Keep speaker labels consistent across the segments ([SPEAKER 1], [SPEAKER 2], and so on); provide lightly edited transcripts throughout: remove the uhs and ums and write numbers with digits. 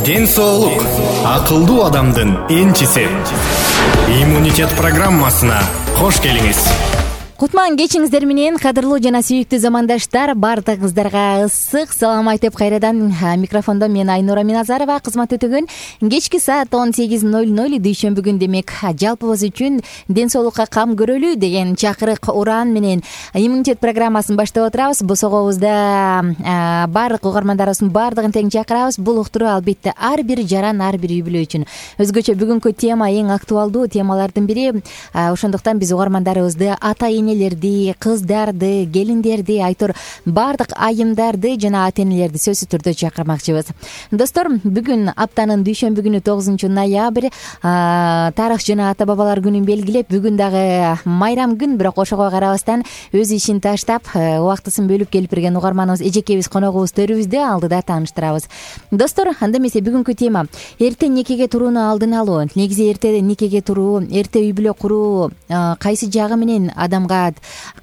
[SPEAKER 1] Ден соолук акылдуу адамдын энчиси. Иммунитет программасына кош келиңиз.
[SPEAKER 2] Кутман кечиңиздер менен, кадырлуу жана сүйүктүү замандаштар, баардыгыңыздарга ысык салам айтып кайрадан микрофондо мен Айнура Миназарова кызмат өтөгөн. Кечки саат 18:00 дүйшөмбү күн, демек жалпыбыз үчүн ден соолукка кам көрөлү деген чакырык уран менен иммунитет программасын баштап отурабыз. Босогобузда баардык угармандарыбыздын баардыгын тең чакырабыз. Бул уктуруу албетте ар бир жаран, ар бир үй бүлө үчүн өзгөчө бүгүнкү тема эң актуалдуу темалардын бири. Ошондуктан биз угармандарыбызды, ата-энелерди, кыздарды, келиндерди, айтор баардык айымдарды жана ата-энелерди сөзсүз түрдө чакырмакчыбыз. Достор, бүгүн аптанын дүйшөмбү күнү 9-ноябрь, тарых жана ата-бабалар күнүн белгилеп, бүгүн дагы майрам күн, бирок ошого карабастан өз ишин таштап, убактысын бөлүп келип берген угарманыбыз, эжекебиз, коногубуз төрүбүздө алдыда тааныштырабыз. Достор, анда эмесе бүгүнкү тема эрте никеге турууну алдын алуу. Негизи эрте никеге туруу, эрте үй бүлө куруу кайсы жагы менен адамга,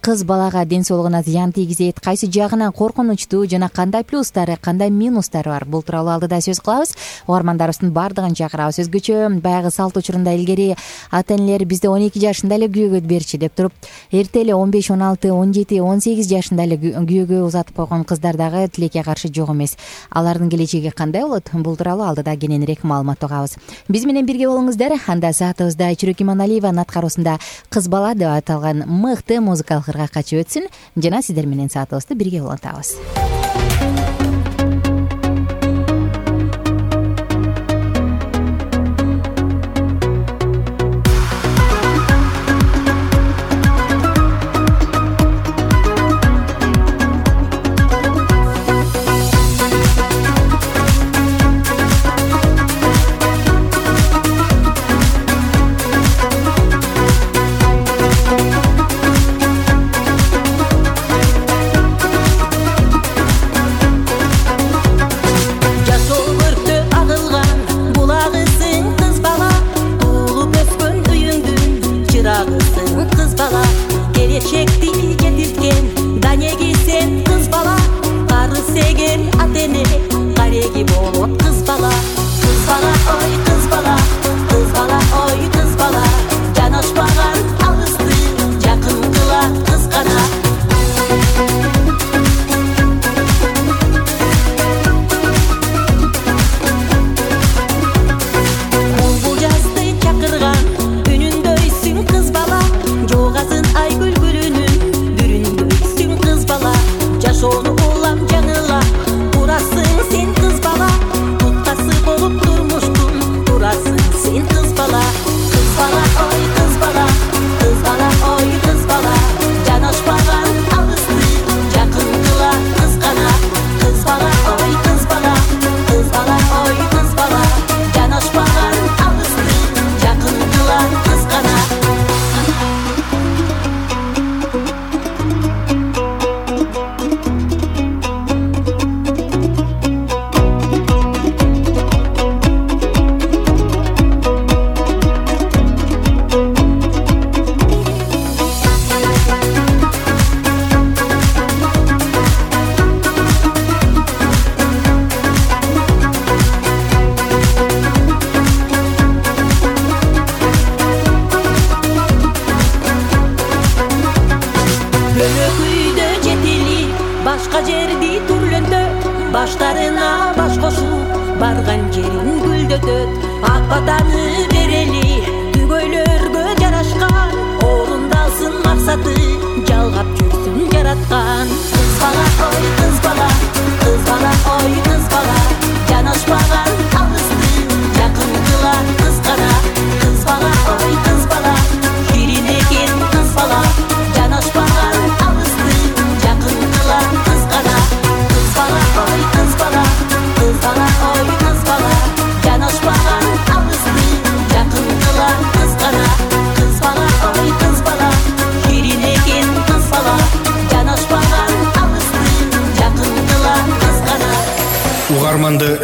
[SPEAKER 2] кыз балага ден соолугуна зыян тийгизет, кайсы жагынан коркунучтуу жана кандай плюстары, кандай минустары бар, бул тууралуу алдыда сөз кылабыз. Угармандарыбыздын баардыгын чакырабыз. Өзгөчө баягы салт учурунда илгери ата-энелер бизде 12 жашында эле күйөөгө берчи деп туруп, эрте эле 15, 16, 17, 18 жашында эле күйөөгө узатып койгон кыздар дагы тилекке каршы жок эмес. Алардын келечеги кандай болот? Бул тууралуу алдыда кененирээк маалымат угабыз. Биз менен бирге болуңуздар. Анда саатыбызда Чүрөк Иманалиеванын аткаруусунда Кыз бала деп аталган мыкты музыкалык ыргак качып өтсүн. Жана сиздер менен саатыбызды бирге улантабыз.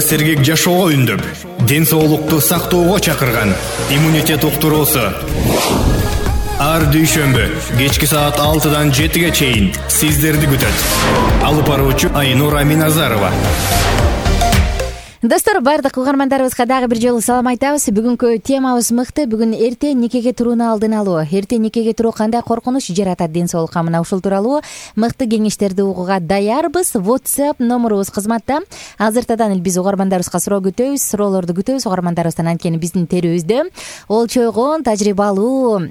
[SPEAKER 1] Сергек жашоого үндөп, ден соолукту сактоого чакырган иммунитет уктуруусу. Ар дүйшөмбү кечки саат 6-дан 7-ге чейин сиздерди күтөт. Алып баруучу Айнура Миназарова.
[SPEAKER 2] Достор, баардык угармандарыбызга дагы бир жолу салам айтабыз. Бүгүнкү темабыз мыкты. Бүгүн эрте никеге турууну алдын алуу. Эрте никеге туруу кандай коркунуч жаратат ден соолукка, мына ушул тууралуу мыкты кеңештерди угууга даярбыз. WhatsApp номерубуз кызматта. Азыртадан эле биз угармандарыбызга суроо күтөбүз, суроолорду күтөбүз. Угармандарыбыздан анткени биздин терүбүздө олчойгон, тажрыйбалуу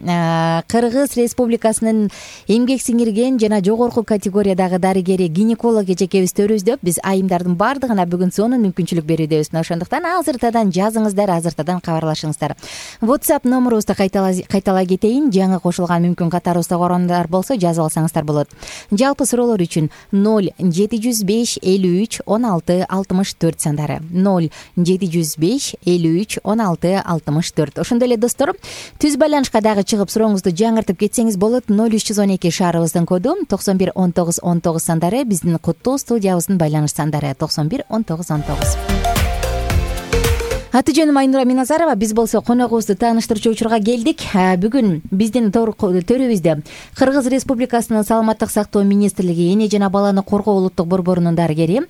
[SPEAKER 2] Кыргыз Республикасынын эмгек сиңирген жана жогорку категориядагы дарыгери, гинеколог эжекебиз төрүбүздө. Биз айымдардын баардыгына бүгүн сонун мүмкүнчүлүк беребиз. Ошондуктан азыртадан жазыңыздар, азыртадан кабарлашыңыздар. WhatsApp номерубузду кайталай кетейин. Жаңы кошулган мүмкүн катарыбызда угармандар болсо жазып алсаңыздар болот. Жалпы суроолор үчүн 0705 53 16 64 сандары. 0705 53 16 64. Ошондой эле достор, түз байланышка дагы чыгып сурооңузду жаңыртып кетсеңиз болот. 0312 шаарыбыздын коду 91 19 19 сандары. Биздин куттуу студиябыздын байланыш сандары 91 19 19. Аты жөнүм Айнура Миназарова. Биз болсо коногубузду тааныштырчу учурга келдик. Бүгүн биздин төрүбүздө Кыргыз Республикасынын Саламаттык сактоо министрлиги эне жана баланы коргоо улуттук борборунун дарыгери,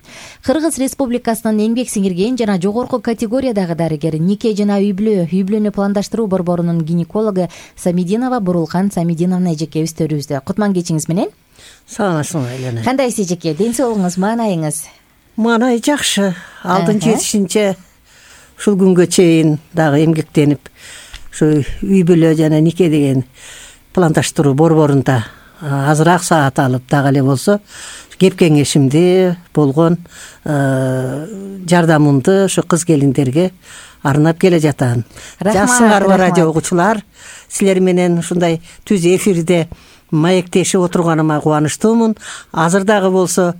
[SPEAKER 2] Кыргыз Республикасынын эмгек сиңирген жана жогорку категориядагы дарыгери, нике жана үй-бүлөнү пландаштыруу борборунун гинекологу Самидинова Бурулкан Самидиновна эжекебиз төрүбүздө. Кутман кечиңиз менен.
[SPEAKER 3] Саламатсызбы Елена?
[SPEAKER 2] Кандайсыз эжеке? Ден соолугуңуз, маанайыңыз?
[SPEAKER 3] Маанай жакшы. Алдын жетишинче ушул күнгө чейин дагы эмгектенип, ушу үй-бүлө жана нике деген пландаштыруу борборунда азыраак саат алып, дагы эле болсо кеп кеңешимди болгон жардамымды ушу кыз келиндерге арнап келе жатам. Жакшыңарбы радио угуучулар? Силер менен ушундай түз эфирде маектешип отурганыма кубанычтуумун. Азыр дагы болсо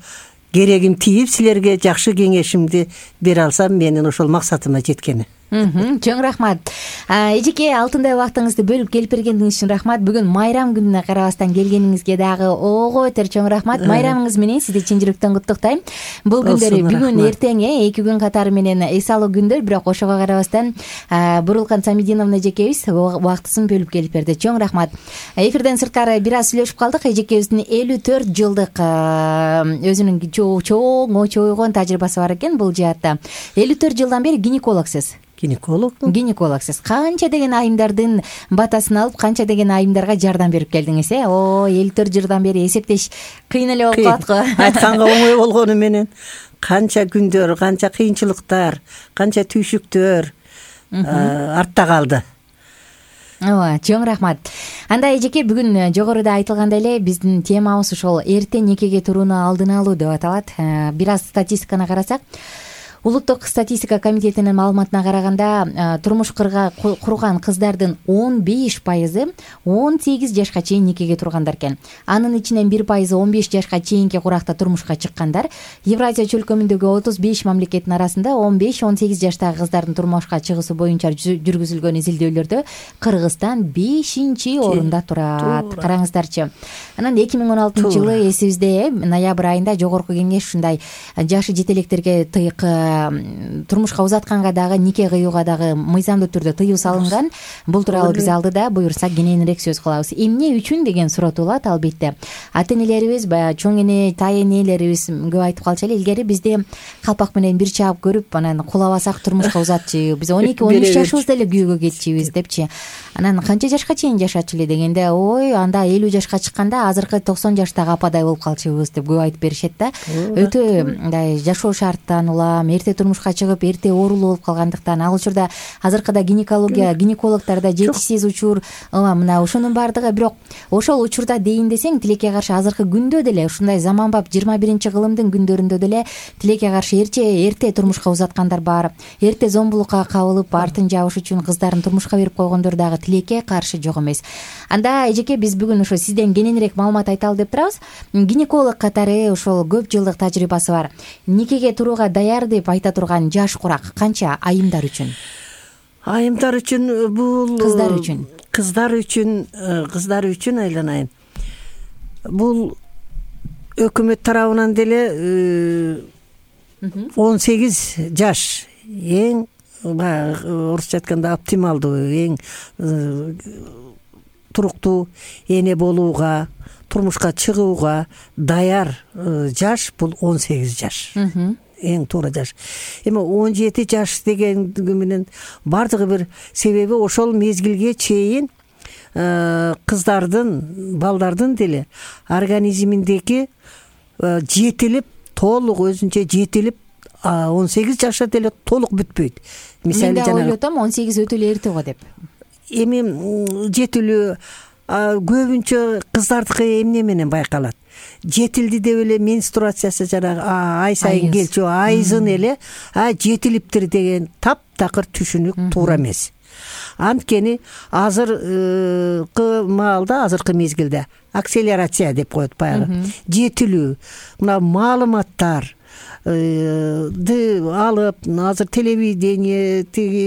[SPEAKER 3] керегим тийип, силерге жакшы кеңешимди бере алсам, менин ошол максатыма жеткени.
[SPEAKER 2] Чоң рахмат. Эжеке, алтындай убактыңызды бөлүп келип бергениңиз үчүн рахмат. Бүгүн майрам күнүнө карабастан келгениңизге дагы ого өтөр чоң рахмат. Майрамыңыз менен сизди чын жүрөктөн куттуктайм. Бул күндөр бүгүн эртең 2 күн катары менен эс алуу күндөр, бирок ошого карабастан Бурулкан Самидиновна эжекебиз убактысын бөлүп келип берди. Чоң рахмат. Эфирден сырткары бир аз сүйлөшүп калдык. Эжекебиздин 54 жылдык өзүнүн чоң очойгон тажрыйбасы бар экен бул жаатта. 54 жылдан бери гинекологсуз. Гинекологсуз. Канча деген айымдардын батасын алып, канча деген айымдарга жардам берип келдиңиз, 54 жылдан бери эсептеш кыйын эле болуп калат го.
[SPEAKER 3] Айтканга оңой болгону менен канча күндөр, канча кыйынчылыктар, канча түйшүктөр артта калды.
[SPEAKER 2] Ооба, чоң рахмат. Анда эжеке, бүгүн жогоруда айтылгандай эле биздин темабыз ушул эрте никеге турууну алдын алуу деп аталат. Бир аз статистиканы карасак, Улуттук статистика комитетинин маалыматына караганда, турмуш курган кыздардын 15% 18 жашка чейин никеге тургандар экен. Анын ичинен 1% 15 жашка чейинки куракта турмушка чыккандар. Евразия чөлкөмүндөгү 35 мамлекеттин арасында 15-18 жаштагы кыздардын турмушка чыгуусу боюнча жүргүзүлгөн изилдөөлөрдө Кыргызстан 5-орунда турат. Караңыздарчы. Анан 2016-жылы эсибизде ноябрь айында жогорку кеңеш ушундай жашы жете электерге тыйык турмушка узатканга дагы, нике кыюуга дагы мыйзамдуу түрдө тыюу салынган. Бул тууралуу биз алдыда буюрса кененирээк сөз кылабыз. Эмне үчүн деген суроо туулат, албетте. Ата энелерибиз, баягы чоң эне, тай энелерибиз көп айтып калчу эле, илгери бизде калпак менен бир чаап көрүп, анан кулабасак турмушка узатчу, биз 12-13 жашыбызда эле күйөөгө кетчүбүз депчи. Анан канча жашка чейин жашачу эле дегенде, ой, анда 50 жашка чыкканда азыркы 90 жаштагы ападай болуп калчубуз деп көп айтып беришет да. Өтө мындай жашоо шарттан улам, эрте турмушка чыгып, эрте оорулуу болуп калгандыктан, ал учурда азыркыда гинекологдордо жетишсиз учур, мына ошонун баардыгы. Бирок ошол учурда дейин десең, тилекке каршы азыркы күндө деле, ушундай заманбап 21-кылымдын күндөрүндө деле тилекке каршы эрте турмушка узаткандар бар. Эрте зомбулукка кабылып, артын жабыш үчүн кыздарын турмушка берип койгондор дагы тилекке каршы жок эмес. Анда эжеке, биз бүгүн ошо сизден кененирээк маалымат айталы деп турабыз. Гинеколог катары ошол көп жылдык тажрыйбасы бар. Никеге турууга даяр деп айта турган жаш курак канча айымдар үчүн?
[SPEAKER 3] Айымдар үчүн бул
[SPEAKER 2] кыздар үчүн
[SPEAKER 3] айланайын. Бул өкмөт тарабынан деле 18 жаш эң орусча айтканда оптималдуу, эң туруктуу эне болууга, турмушка чыгууга даяр жаш бул 18 жаш. эң туура жаш. Эми 17 жаш дегенди менен бардыгы бир себеби ошол мезгилге чейин кыздардын, балдардын деле организминдеги жетилип, толук өзүнчө жетилип 18 жашта деле толук бүтпөйт.
[SPEAKER 2] Мисалы мен ойлоп атам 18 өтө эле эрте го деп.
[SPEAKER 3] Эми жетилүү көбүнчө кыздардыкы эмне менен байкалат? Жетилди деп эле менструациясы жанагы ай сайын келчү айызын эле жетилиптир деген таптакыр түшүнүк туура эмес. Анткени азыркы маалда, азыркы мезгилде акселерация деп коет баягы. Жетилүү, мына маалыматтар алып, азыр телевидение,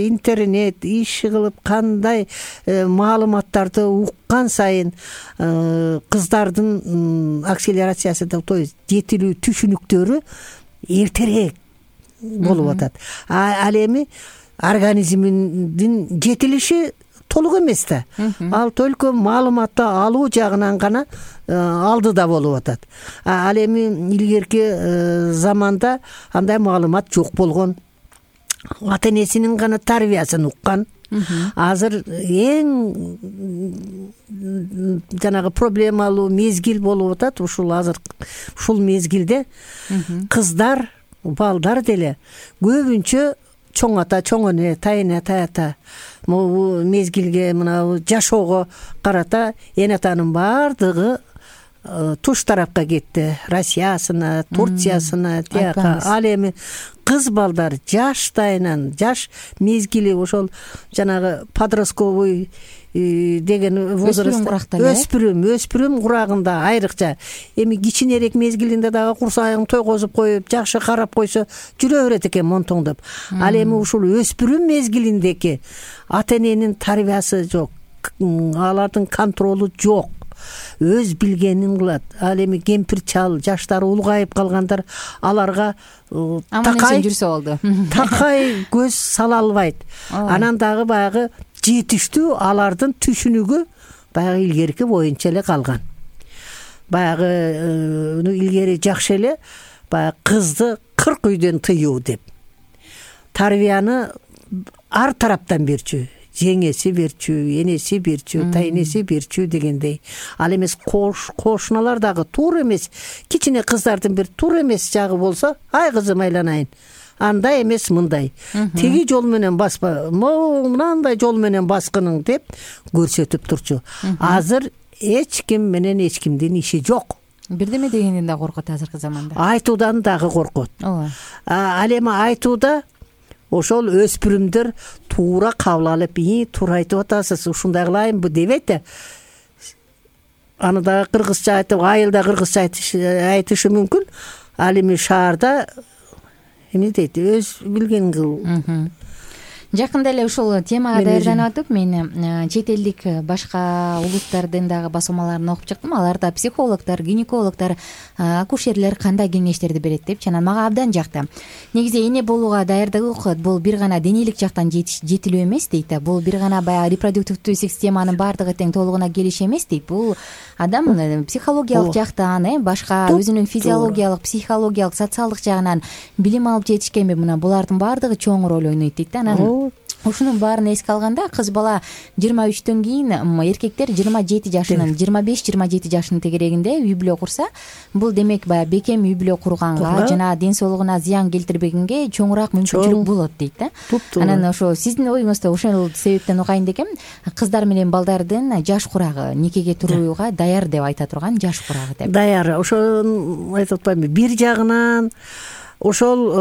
[SPEAKER 3] интернет иш кылып кандай маалыматтарды уккан сайын кыздардын акселерациясы, то есть жетилүү түшүнүктөрү эртерээк болуп атат. Ал эми организминдин жетилиши толук эмес да. Ал только маалыматты алуу жагынан гана алдыда болуп атат. Ал эми илгерки заманда андай маалымат жок болгон. Ата-энесинин гана тарбиясын уккан. Азыр эң жанагы проблемалуу мезгил болуп атат. Ушул мезгилде кыздар, балдар деле көбүнчө чоң ата, чоң эне, тайына, таята могу мезгилге, мына жашоого карата эне атанын бардыгы туш тарапка кетти. Россиясына, Турциясына, тияка. Ал эми кыз балдар жаштайынан, жаш мезгили ошол жанагы подростковый деген возраст, өспүрүм курагында айрыкча. Эми кичинерээк мезгилинде дагы курсагын тойгозуп коюп, жакшы карап койсо жүрө берет экен монтоңдоп. Ал эми ушул өспүрүм мезгилиндеги ата-эненин тарбиясы жок, алардын контролу жок. Өз билгенин кылат. Ал эми кемпир чал, жаштары улгайып калгандар аларга такай
[SPEAKER 2] жүрсө болду.
[SPEAKER 3] Такай көз сала албайт. Анан дагы баягы жетиштүү алардын түшүнүгү баягы илгерки боюнча эле калган. Баягы илгери жакшы эле баягы кызды 40 үйдөн тыюу деп. Тарбияны ар тараптан берчү. Жеңеси берчү, энеси берчү, тайнеси берчү дегендей. Ал эмес кошуналар дагы туура эмес. Кичине кыздардын бир туура эмес жагы болсо, ай кызым айланайын. Андай эмес, мындай. Теги жол менен баспа, мынандай жол менен баскының деп көрсөтүп турчу. Азыр эч ким менен эч кимдин иши жок.
[SPEAKER 2] Бирдеме дегенден да коркот азыркы заманда.
[SPEAKER 3] Айтуудан дагы коркот. Ал эми айтууда ошол өспүрүмдөр туура кабыл алып, туура айтып атасыз, ушундай кылайынбы дебейт да. Аны да кыргызча айтып, айылда кыргызча айтышы мүмкүн. Ал эми шаарда эмне дейт, өз билгенин кыл.
[SPEAKER 2] Жакында эле ушул темага даярданып атып, мен чет элдик башка улуттардын дагы басмаларын окуп чыктым. Аларда психологдор, гинекологдор, акушерлер кандай кеңештерди берет деп, жана мага абдан жакты. Негизи эне болууга даярдык бул бир гана денелик жактан жетилүү эмес дейт да. Бул бир гана баягы репродуктивдүү системанын бардыгы тең толугуна келиш эмес дейт. Бул адам психологиялык жактан, башка өзүнүн физиологиялык, психологиялык, социалдык жагынан билим алып жетишкенби, мына булардын бардыгы чоң роль ойнойт дейт да. Анан ушунун баарын эске алганда кыз бала 23-төн кийин, эркектер 27 жашынын, 25-27 жашынын тегерегинде үй бүлө курса, бул демек баягы бекем үй бүлө курганга жана ден соолугуна зыян келтирбегенге чоңураак мүмкүнчүлүк болот дейт да. Анан ошо сиздин оюңузда ошол себептен угайын дегем, кыздар менен балдардын жаш курагы, никеге турууга даяр деп айта турган жаш курагы деп.
[SPEAKER 3] Даяр, ошол айтып атпаймынбы, бир жагынан ошол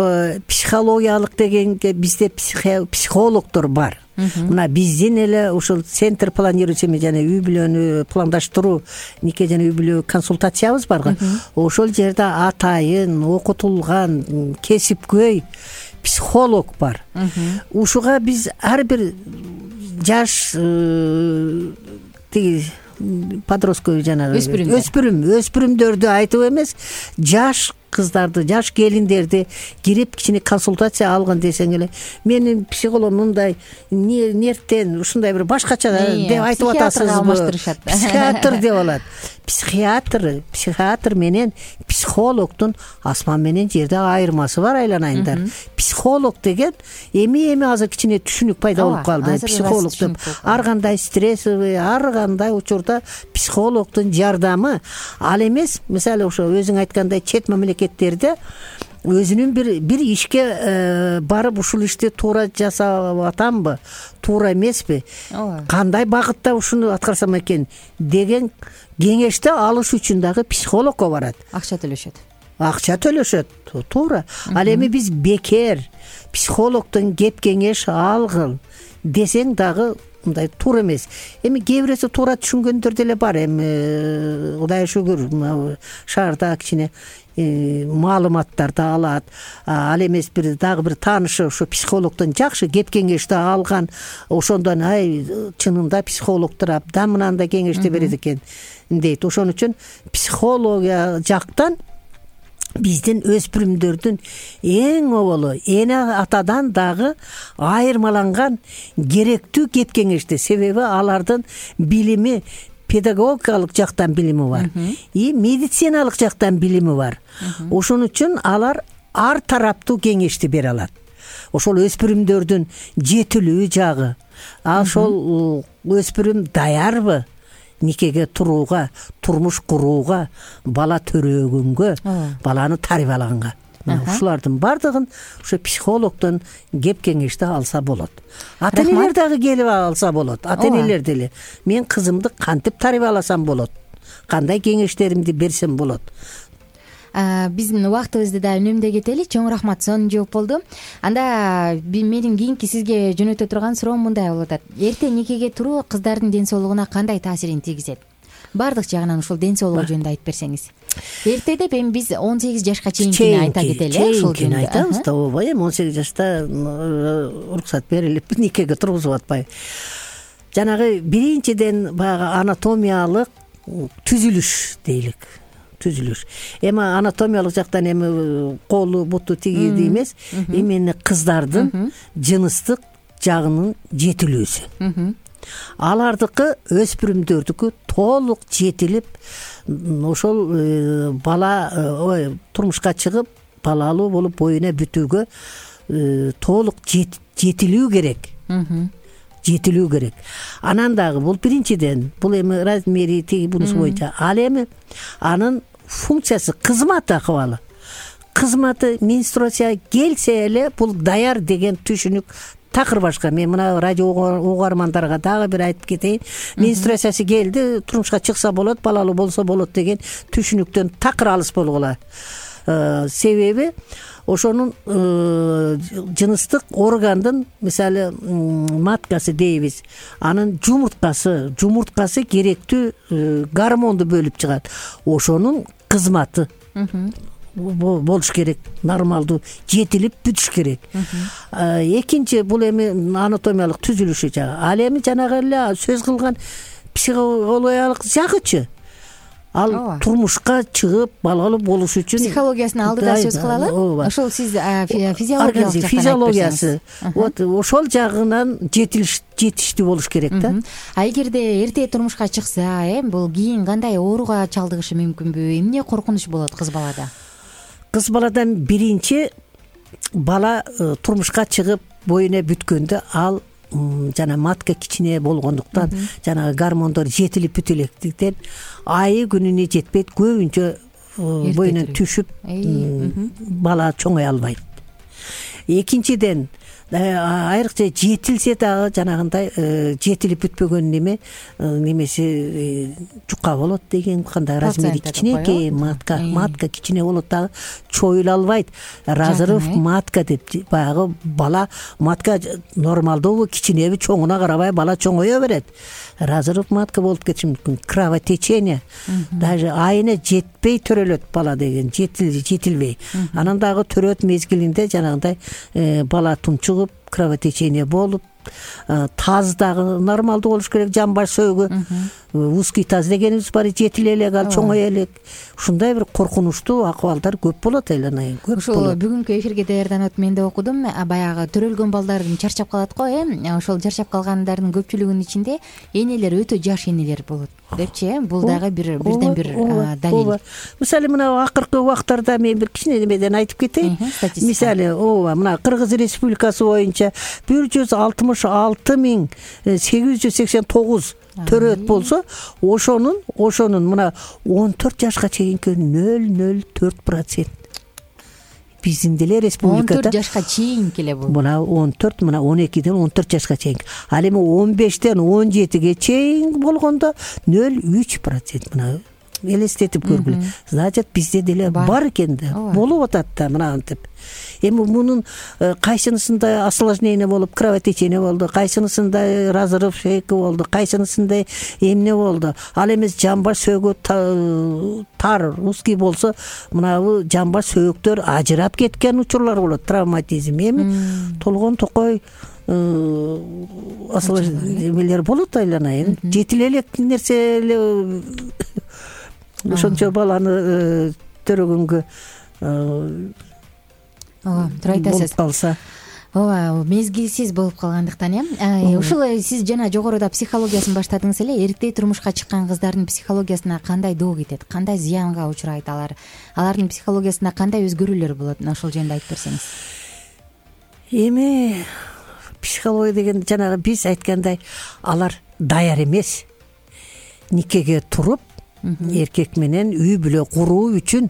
[SPEAKER 3] психологиялык дегенге бизде психологдор бар. Мына биздин эле ушул центр планирующий жана үй бүлөнү пландаштыруу, нике жана үй бүлө консультациябыз барга. Ошол жерде атайын окутулган кесипкөй психолог бар. Ушуга биз ар бир жаш подростковый жанагы өспүрүмдөрдү айтып эмес, жаш кыздарды, жаш келиндерди кирип кичине консультация алгын десең эле, менин психологум мындай нервтен ушундай бир башкача деп айтып атасызбы? Психиатр деп алат. Психиатр менен психологдун асман менен жерде айырмасы бар, айланайындар. Психолог деген эми азыр кичине түшүнүк пайда болуп калды. Психолог деп ар кандай стрессовый, ар кандай учурда психологдун жардамы ал эмес. Мисалы ошо өзүң айткандай чет мамлекеттерде өзүнүн бир ишке барып ушул ишти туура жасап атамбы, туура эмеспи, кандай багытта ушуну аткарсам экен деген кеңешти алыш үчүн дагы психологко барат.
[SPEAKER 2] Акча төлөшөт, туура. Ал эми биз бекер психологдон кеп кеңеш алгыл десең дагы мындай туура эмес. Эми кээ бирөөсү туура түшүнгөндөр деле бар. Эми Кудайга шүгүр, шаарда кичине маалыматтарды алат. Ал эмес дагы бир таанышы ошо психологдон жакшы кеп кеңешти алган, ошондон чынында психологдор абдан мынандай кеңешти берет экен дейт. Ошон үчүн психология жактан биздин өспүрүмдөрдүн эң оболу эне атадан дагы айырмаланган керектүү кеп кеңешти. Себеби алардын билими педагогикалык жактан билими бар, и медициналык жактан билими бар. Ошон үчүн алар ар тараптуу кеңешти бере алат. Ошол өспүрүмдөрдүн жетилүү жагы, ошол өспүрүм даярбы никеге турууга, турмуш курууга, бала төрөгөнгө, баланы тарбиялаганга. Ушулардын бардыгын ошо психологдон кеп кеңешти алса болот. Ата-энелер дагы келип алса болот. Ата-энелер деле мен кызымды кантип тарбияласам болот, кандай кеңештеримди берсем болот. Биздин убактыбызды да үнөмдөй кетели. Чоң рахмат, сонун жооп болду. Анда менин кийинки сизге жөнөтө турган суроом мындай болуп атат. Эрте никеге туруу кыздардын ден соолугуна кандай таасирин тийгизет? Бардык жагынан ушул ден соолугу жөнүндө айтып берсеңиз. Эрте деп эми биз 18 жашка чейинкини айта кетели, ушул жөнүндө
[SPEAKER 3] айтабыз да. Ооба, эми 18 жашта уруксат берилип никеге тургузуп атпайбы. Жанагы биринчиден баягы анатомиялык түзүлүш дейлик. Эми анатомиялык жактан эми колу буту тигиди эмес, эмени кыздардын жыныстык жагынын жетилүүсү. Алардыкы өспүрүмдөрдүкү толук жетилип, ошол бала турмушка чыгып, балалуу болуп боюна бүтүүгө толук жетилүү керек. Анан дагы бул биринчиден, бул эми размери тиги бунусу боюнча. Ал эми анын функциясы, кызматы акыбалы. Кызматы менструация келсе эле бул даяр деген түшүнүк такыр башка. Мен мына радио угармандарга дагы бир айтып кетейин. Менструациясы келди, турмушка чыкса болот, балалуу болсо болот деген түшүнүктөн такыр алыс болгула. Себеби ошонун жыныстык органдын, мисалы маткасы дейбиз, анын жумурткасы керектүү гормонду бөлүп чыгат. Ошонун кызматы болуш керек, нормалдуу жетилип бүтүш керек. Экинчи, бул эми анатомиялык түзүлүшү жагы. Ал эми жанагы эле сөз кылган психологиялык жагычы. Ал турмушка чыгып балалуу болуш үчүн
[SPEAKER 2] психологиясын алдыда сөз кылалы. Ошол сиз физиологиялык жактан
[SPEAKER 3] физиологиясы, вот ошол жагынан жетиштүү болуш керек да.
[SPEAKER 2] Эгерде эрте турмушка чыкса, бул кийин кандай ооруга чалдыгышы мүмкүнбү? Эмне коркунуч болот кыз балада?
[SPEAKER 3] Кыз баладан биринчи, бала турмушка чыгып боюна бүткөндө ал жана матка кичине болгондуктан, жана гормондор жетилип бүтө электиктен айы күнүнө жетпейт, көбүнчө боюнан түшүп бала чоңой албайт. Экинчиден, айрыкча жетилсе дагы жанагындай жетилип бүтпөгөн немеси жука болот деген, кандай размери кичинекей матка кичине болот дагы чоюла албайт. Разрыв матка деп, баягы бала матка нормалдуу кичинеби чоңуна карабай бала чоңое берет. Разрыв матка болуп кетиши мүмкүн. Кровотечение, даже айына жетпей төрөлөт бала деген, жетилбей. Анан дагы төрөт мезгилинде жанагындай бала тунчугуп, кровотечение болуп, таз дагы нормалдуу болуш керек, жамбаш сөөгү узкий таз дегенибиз бар, жетиле элек, ал чоңое элек. Ушундай бир коркунучтуу акыбалдар көп болот айланайын, көп
[SPEAKER 2] болот. Ушул бүгүнкү эфирге даярданып мен да окудум, баягы төрөлгөн балдар чарчап калат го, ошол чарчап калгандардын көпчүлүгүнүн ичинде энелер өтө жаш энелер болот депчи. Бул дагы бирден бир далил.
[SPEAKER 3] Мисалы мына акыркы убактарда мен бир кичине немеден айтып кетейин. Мисалы мына Кыргыз Республикасы боюнча 166,889 төрөт болсо, ошонун мына 14 жашка чейинки 0,04%. Биздин деле республикада
[SPEAKER 2] 14 жашка чейинки эле бул.
[SPEAKER 3] Мына 14, мына 12ден 14 жашка чейинки. Ал эми 15ден 17ге чейин болгондо 0,3%. Мына элестетип көргүлө. Значит, бизде деле бар экен да, болуп атат да мына антип. Эми мунун кайсынысында осложнение болуп, кровотечение болду, кайсынысында разрыв шейки болду, кайсынысында эмне болду. Ал эмес жамбаш сөөгү тар, узкий болсо, мынабу жамбаш сөөгүктөр ажырап кеткен учурлар болот, травматизм. Эми толгон токой осложнениелер болот айланайын. Жетиле элек нерсе эле ошончо баланы төрөгөнгө
[SPEAKER 2] туура айтасыз.
[SPEAKER 3] Болуп калса,
[SPEAKER 2] мезгилсиз болуп калгандыктан ушул сиз жана жогоруда психологиясын баштадыңыз эле. Эрте турмушка чыккан кыздардын психологиясына кандай доо кетет, кандай зыянга учурайт алардын психологиясында кандай өзгөрүүлөр болот, ошол жөнүндө айтып берсеңиз.
[SPEAKER 3] Эми психология деген жанагы биз айткандай алар даяр эмес. Никеге туруп эркек менен үй бүлө куруу үчүн,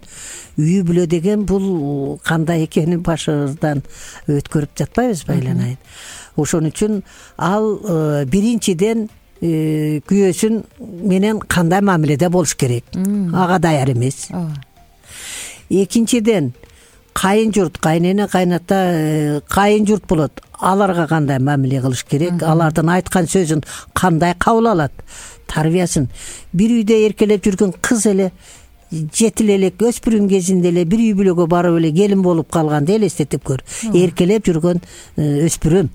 [SPEAKER 3] үй бүлө деген бул кандай экенин башыбыздан өткөрүп жатпайбызбы айланайын. Ошон үчүн ал биринчиден күйөөсүн менен кандай мамиледе болуш керек, ага даяр эмес. Экинчиден кайын журт, кайнене, кайната, кайын журт болот, аларга кандай мамиле кылыш керек, алардын айткан сөзүн кандай кабыл алат, тарбиясын. Бир үйдө эркелеп жүргөн кыз эле жетиле элек өспүрүм кезинде эле бир үй бүлөгө барып эле келин болуп калганды элестетип көр. Эркелеп жүргөн өспүрүм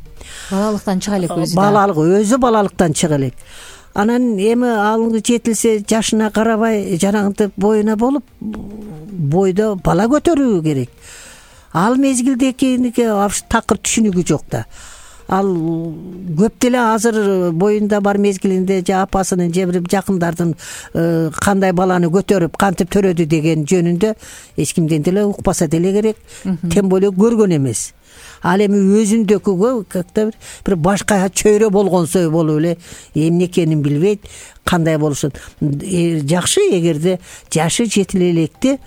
[SPEAKER 2] балалыктан чыга элек,
[SPEAKER 3] өзү балалыктан чыга элек. Анан эми ал жетилсе жашына карабай жанагынтип боюна болуп, бойдо бала көтөрүү керек. Ал мезгилдекиники такыр түшүнүгү жок да. Ал көп деле азыр боюнда бар мезгилинде же апасынын же бир жакындардын кандай баланы көтөрүп кантип төрөдү деген жөнүндө эч кимден деле укпаса деле керек, тем более көргөн эмес. Ал эми өзүндөгүгө как-то бир башка чөйрө болгонсой болуп эле эмне экенин билбейт, кандай болушун. Жакшы эгерде жашы жетиле электи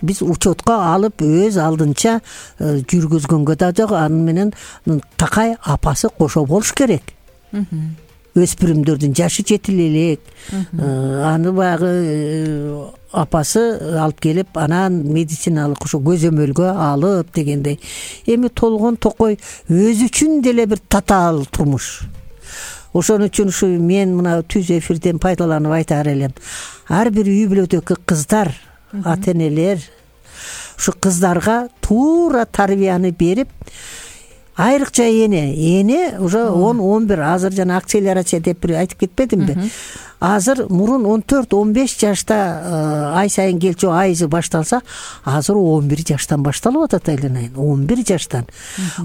[SPEAKER 3] биз учетко алып өз алдынча жүргүзгөнгө да жок, аны менен такай апасы кошо болуш керек. Өспүрүмдөрдүн жашы жетиле элек, аны баягы апасы алып келип, анан медициналык ошо көзөмөлгө алып дегендей. Эми толгон токой өзү үчүн деле бир татаал турмуш. Ошон үчүн ушу мен мына түз эфирден пайдаланып айтаар элем. Ар бир үй бүлөдөгү кыздар, ата-энелер ушу кыздарга туура тарбияны берип, айрыкча эне уже 10-11, азыр жана акселерация деп бир айтып кетпедимби? Азыр мурун 14-15 жашта ай сайын келчү айызы башталса, азыр 11 жаштан башталып атат айланайын. 11 жаштан.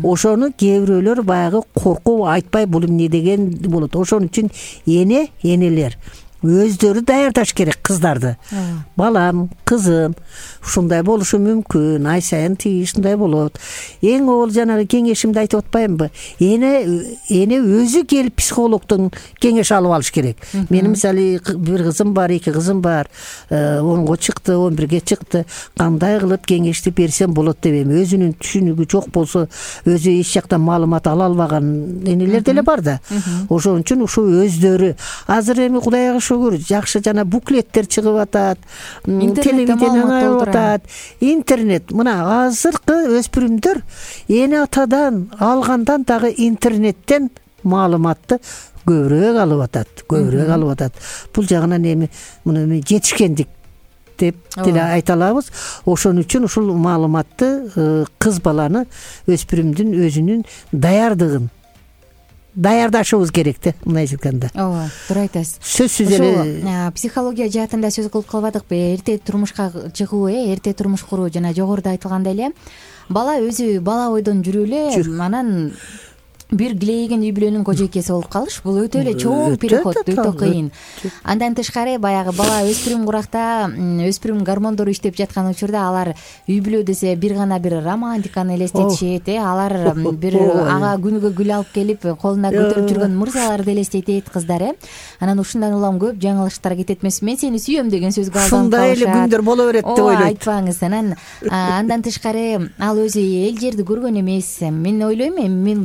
[SPEAKER 3] Ошону кээ бирөөлөр баягы коркуп айтпай бул эмне деген болот. Ошон үчүн энелер өздөрү даярдаш керек кыздарды. Балам, кызым, ушундай болушу мүмкүн, ай сайын тиги ушундай болот. Эң ол жанагы кеңешимди айтып атпаймынбы? Эне өзү келип психологдон кеңеш алып алыш керек. Менин мисалы бир кызым бар, 2 кызым бар, 10го чыкты, 11ге чыкты. Кандай кылып кеңешти берсем болот деп эми өзүнүн түшүнүгү жок болсо, өзү эч жактан маалымат ала албаган энелер деле бар да. Ошон үчүн ушу өздөрү азыр эми Кудайга шүгүр жакшы жана буклеттер чыгып атат, телевидение атат, интернет. Мына азыркы өспүрүмдөр эне атадан алгандан дагы интернеттен маалыматты көбүрөөк алып атат. Бул жагынан эми муну жетишкендик деп деле айта алабыз. Ошон үчүн ушул маалыматты кыз баланы, өспүрүмдүн өзүнүн даярдыгын даярдашыбыз керек да, мындайча айтканда.
[SPEAKER 2] ооба, туура айтасыз.
[SPEAKER 3] Сөзсүз эле
[SPEAKER 2] психология жаатында сөз кылып калбадыкпы? Эрте турмушка чыгуу, эрте турмуш куруу, жана жогоруда айтылгандай эле бала өзү бала бойдон жүрүп эле анан бир килейген үй бүлөнүн кожойкеси болуп калыш, бул өтө эле чоң переход, өтө кыйын. Андан тышкары баягы бала өспүрүм куракта, өспүрүм гормондору иштеп жаткан учурда алар үй бүлө десе бир гана бир романтиканы элестетишет, алар бир ага күнүгө гүл алып келип колуна көтөрүп жүргөн мырзаларды элестетет кыздар. Анан ушундан улам көп жаңылыштар кетет эмеспи? Мен сени сүйөм деген сөзгө алданып калышат.
[SPEAKER 3] Ушундай эле күндөр боло берет деп ойлойт.
[SPEAKER 2] Айтпаңыз. Анан андан тышкары ал өзү эл жерди көргөн эмес. Мен ойлойм,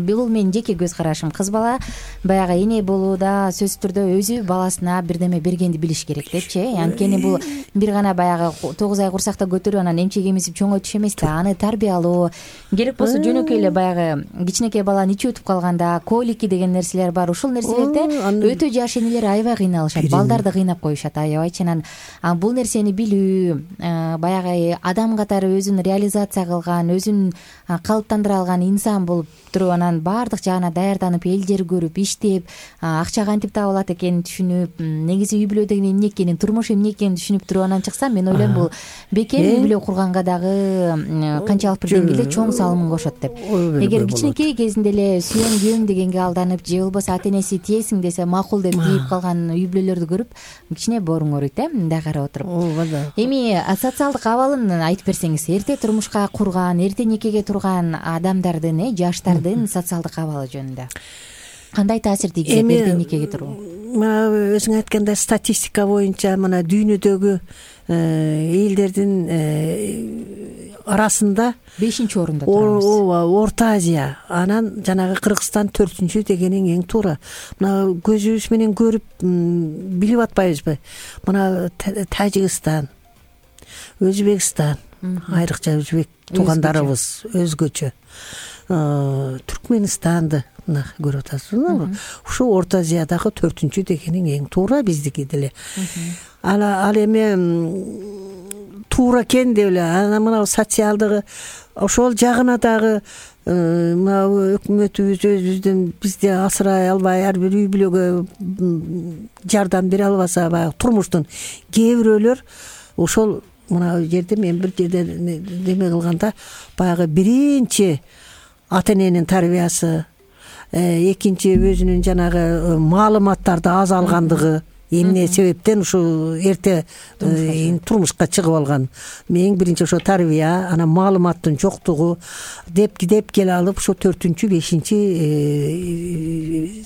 [SPEAKER 2] бул менин жеке көз карашым. Кыз бала баягы эне болууда сөзсүз түрдө өзү баласына бирдеме бергенди билиш керек депчи. Анткени бул бир гана баягы 9 ай курсакта көтөрүп анан эмчек эмизип чоңойтуш эмес да. Аны тарбиялоо керек болсо жөнөкөй эле баягы кичинекей баланын ичи өтүп калганда колики деген нерселер бар. Ушул нерселерде өтө жаш энелер аябай кыйналышат, балдарды кыйнап коюшат аябайчы. Анан бул нерсени билүү, баягы адам катары өзүн реализация кылган, өзүн калыптандыра алган инсан болуп туруп, анан баардык жагына даярданып, эл жер көрүп, иштеп, акча кантип табылат экенин түшүнүп, негизи үй бүлө деген эмне экенин, турмуш эмне экенин түшүнүп туруп анан чыкса, мен ойлойм бул бекем үй бүлө курганга дагы канчалык бир деңгээлде чоң салымын кошот деп. Эгер кичинекей кезинде эле сүйөм күйөөм дегенге алданып, же болбосо ата энеси тиесиң десе макул деп тийип калган үй бүлөлөрдү көрүп кичине бооруң ооруйт мындай карап отуруп. Эми социалдык абалын айтып берсеңиз, эрте турмушка курган, эрте никеге турган адамдардын, жаштардын социалдык абалы жөнүндө кандай таасир тийгизет эрте никеге туруу?
[SPEAKER 3] Өзүң айткандай статистика боюнча мына дүйнөдөгү элдердин арасында
[SPEAKER 2] 5-орунда турабыз.
[SPEAKER 3] Ооба, Орто Азия, анан жанагы Кыргызстан 4-чү дегениң эң туура. Мына көзүбүз менен көрүп билип атпайбызбы? Мына Тажикстан, Өзбекстан, айрыкча өзбек туугандарыбыз өзгөчө. Түркменистанды мына көрүп атасызбы? Ушу Орто Азиядагы 4-чү дегениң эң туура биздики деле. Ал эми туура экен деп эле анан мына социалдыгы ошол жагына дагы мына өкмөтүбүз өзүбүздөн бизди асырай албай, ар бир үй бүлөгө жардам бере албаса, баягы турмуштун кээ бирөөлөр ошол мына жерде мен бир жерде неме кылганда баягы биринчи ата эненин тарбиясы, экинчи өзүнүн жанагы маалыматтарды аз алгандыгы, эмне себептен ушу эрте турмушка чыгып алган. Эң биринчи ошо тарбия, анан маалыматтын жоктугу деп келе алып, ошо 4-чү 5-чи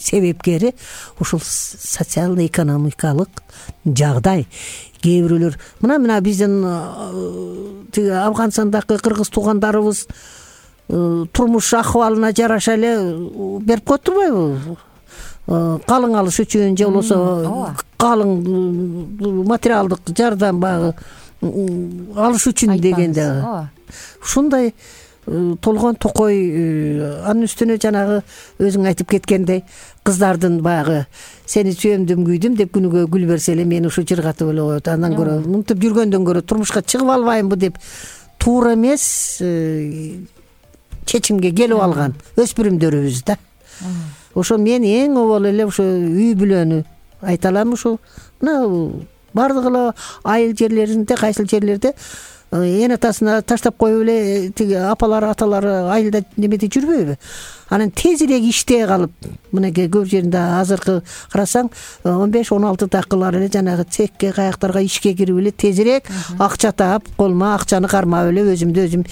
[SPEAKER 3] себепкери ушул социально-экономикалык жагдай. Кээ бирөөлөр мына биздин тиги Афганстандагы кыргыз туугандарыбыз турмуш акыбалына жараша эле берип коюп турбайбы? Калың алыш үчүн же болбосо калың материалдык жардам багы алыш үчүн дегенде ушундай толгон токой. Анын үстүнө жанагы өзүң айтып кеткендей кыздардын баягы сени сүйөмдүм күйдүм деп күнүгө гүл берсе эле мени ушу жыргатып эле коет. Андан көрө мынтип жүргөндөн көрө турмушка чыгып албаймбы деп туура эмес чечимге келип алган өспүрүмдөрүбүз да. Ошо мен эң обол эле ошо үй бүлөнү айта алам. Ушул мына бардыгы эле айыл жерлеринде, кайсыл жерлерде эн атасына таштап коюп эле тиги апалары аталары айылда немеде жүрбөйбү? Анан тезирээк иштей калып, мынакей көп жеринде азыркы карасаң 15-16 такылар эле жанагы цехке, каяктарга ишке кирип эле тезирээк акча таап, колума акчаны кармап эле өзүмдү өзүм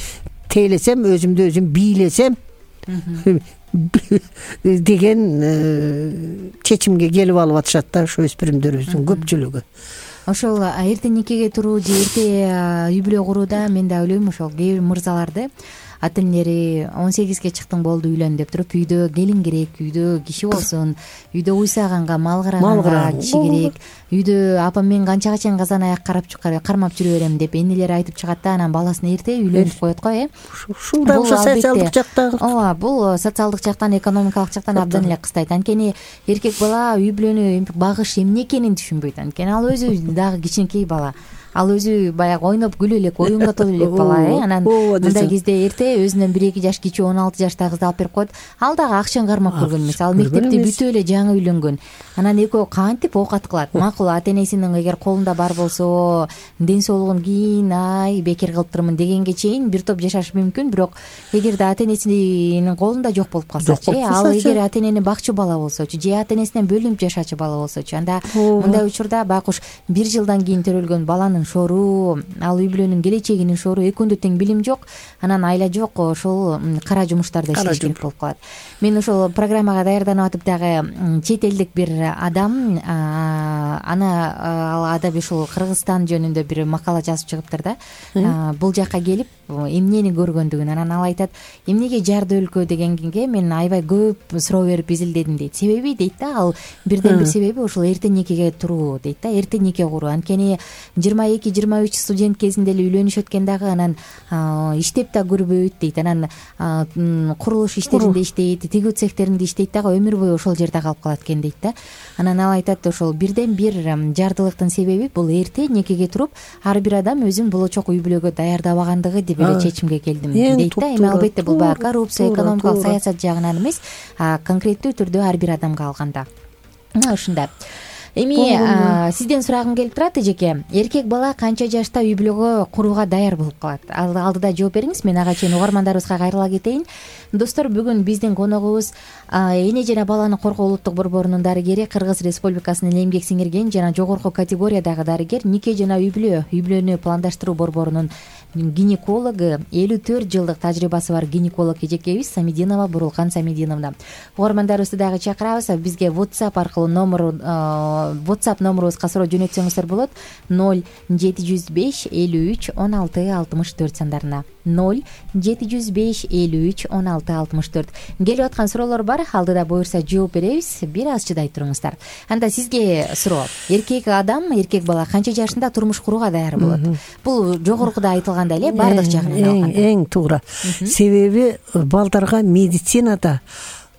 [SPEAKER 3] тейлесем, өзүмдү өзүм бийлесем деген чечимге келип алып атышат да ошо өспүрүмдөрүбүздүн көпчүлүгү.
[SPEAKER 2] Ошол эрте никеге туруу же эрте үй бүлө курууда мен да ойлойм, ошол кээ бир мырзаларды ата энелери 18-ге чыктың болду үйлөн деп туруп үйдө келин керек, үйдө киши болсун, үйдө уйсаганга мал караганга киши керек, үйдө апам мен канчага чейин казан аяк кармап жүрө берем деп энелер айтып чыгат да, анан баласын эрте үйлөнтүп коет го.
[SPEAKER 3] Ушул да ошо социалдык жактан.
[SPEAKER 2] Ооба, бул социалдык жактан, экономикалык жактан абдан эле кыстайт. Анткени эркек бала үй бүлөнү багыш эмне экенин түшүнбөйт. Анткени ал өзү дагы кичинекей бала. ал өзү баягы ойноп күлүп элек оюнга толо элек бала анан мындай кезде эрте өзүнөн 1-2 жаш кичүү 16 жаштагы кызды алып берип коет. Ал дагы акчаны кармап көргөн эмес, ал мектепти бүтүп эле жаңы үйлөнгөн. Анан экөө кантип оокат кылат? Макул, ата энесинин эгер колунда бар болсо ден соолугун кийин бекер кылыптырмын дегенге чейин бир топ жашашы мүмкүн, бирок эгерде ата энесинин колунда жок болуп калсачы, ал эгер ата энени бакчы бала болсочу же ата энесинен бөлүнүп жашачу бала болсочу, анда мындай учурда байкуш 1 жылдан кийин төрөлгөн баланын шору, ал үй бүлөнүн келечегинин шору, экөөндө тең билим жок, анан айла жок, ошол кара жумуштарда иштеш керек болуп калат. Мен ошол программага даярданып атып дагы чет элдик бир адам, ал адабий ушул Кыргызстан жөнүндө бир макала жазып чыгыптыр да. Бул жакка келип эмнени көргөндүгүн, анан ал айтат, эмнеге жарды өлкө дегенге мен аябай көп суроо берип изилдедим дейт. Себеби дейт да, ал бирден бир себеби ушул эрте никеге туруу дейт да, эрте нике куруу. Анткени 22-23 студент кезинде эле үйлөнүшөт экен дагы, анан иштеп да көрбөйт дейт, анан курулуш иштеринде иштейт, тигүү цехтеринде иштейт дагы, өмүр бою ошол жерде калып калат экен дейт да. Анан ал айтат, ошол бирден бир жардылыктын себеби бул эрте никеге туруп ар бир адам өзүн болочок үй бүлөгө даярдабагандыгы деп эле чечимге келдим дейт да. Эми албетте бул баягы коррупция, экономикалык саясат жагынан эмес, конкреттүү түрдө ар бир адамга алганда ушундай. Эми сизден сурагым келип турат, эжеке. Эркек бала канча жашта үй бүлөгө курууга даяр болуп калат? Алдыда жооп бериңиз, мен ага чейин угармандарыбызга кайрыла кетейин. Достор, бүгүн биздин коногубуз эне жана баланы коргоо улуттук борборунун дарыгери, Кыргыз Республикасынын эмгек сиңирген жана жогорку категориядагы дарыгер, нике жана үй бүлөнү пландаштыруу борборунун гинекологу, 54 жылдык тажрыйбасы бар гинеколог эжекебиз Самидинова Бурулкан Самидиновна. Угармандарыбызды дагы чакырабыз. Бизге WhatsApp аркылуу WhatsApp номурубузга суроо жөнөтсөңүздөр болот. 0705 53 16 64 сандарына. 0705 53 16 64. Келип аткан суроолор бар. Алдыда буюрса жооп беребиз. Бир аз чыдай туруңуздар. Анда сизге суроо. Эркек бала канча жашында турмуш курууга даяр болот? Бул жогорукуда айтылгандай эле бардык жагынан алганда.
[SPEAKER 3] Эң туура. Себеби балдарга медицинада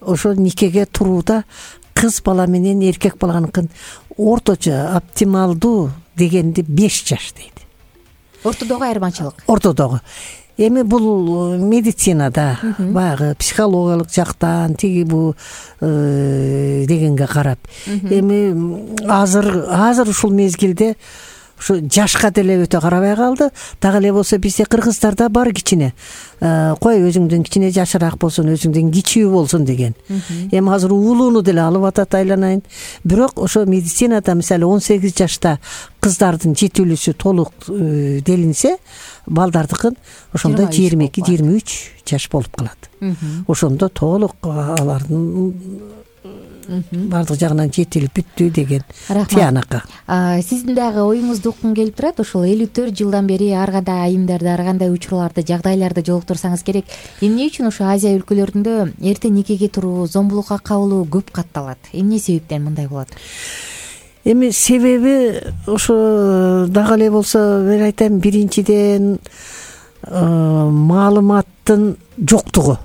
[SPEAKER 3] ошо никеге турууда кыз бала менен эркек баланыкын орточо оптималдуу дегенди 5 жаш дейт.
[SPEAKER 2] Ортодогу айырмачылык.
[SPEAKER 3] Ортодогу. Эми бул медицинада баягы психологиялык жактан тиги бу дегенге карап. Эми азыр ушул мезгилде ушу жашка деле өтө карабай калды. Дагы эле болсо бизде кыргыздарда бар кичине кой өзүңдөн кичине жашыраак болсун, өзүңдөн кичүү болсун деген. Эми азыр уулууну деле алып атат айланайын. Бирок ошо медицинада мисалы 18 жашта кыздардын жетүүлүүсү толук делинсе, балдардыкын ошондо 22-23 жаш болуп калат. Ошондо толук алардын бардык жагынан жетилип бүттү деген тыянакка.
[SPEAKER 2] Сиздин дагы оюңузду уккум келип турат. Ошол 54 жылдан бери ар кандай айымдарды, ар кандай учурларды, жагдайларды жолуктурсаңыз керек. Эмне үчүн ошо Азия өлкөлөрүндө эрте никеге туруу, зомбулукка кабылуу көп катталат? Эмне себептен мындай болот?
[SPEAKER 3] Эми себеби ошо дагы эле болсо мен айтайын, биринчиден маалыматтын жоктугу.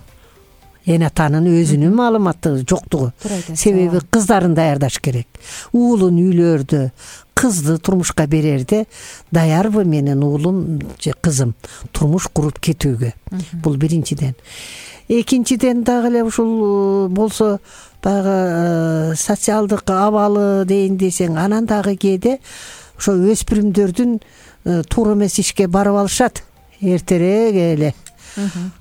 [SPEAKER 3] Эне атанын өзүнүн маалыматы жоктугу. Себеби кыздарын даярдаш керек. Уулун үйлөрдө кызды турмушка берерде даярбы менин уулум же кызым турмуш куруп кетүүгө? Бул биринчиден. Экинчиден дагы эле ушул болсо баягы социалдык абалы дейин десең, анан дагы кээде ошо өспүрүмдөрдүн туура эмес ишке барып алышат эртерээк эле.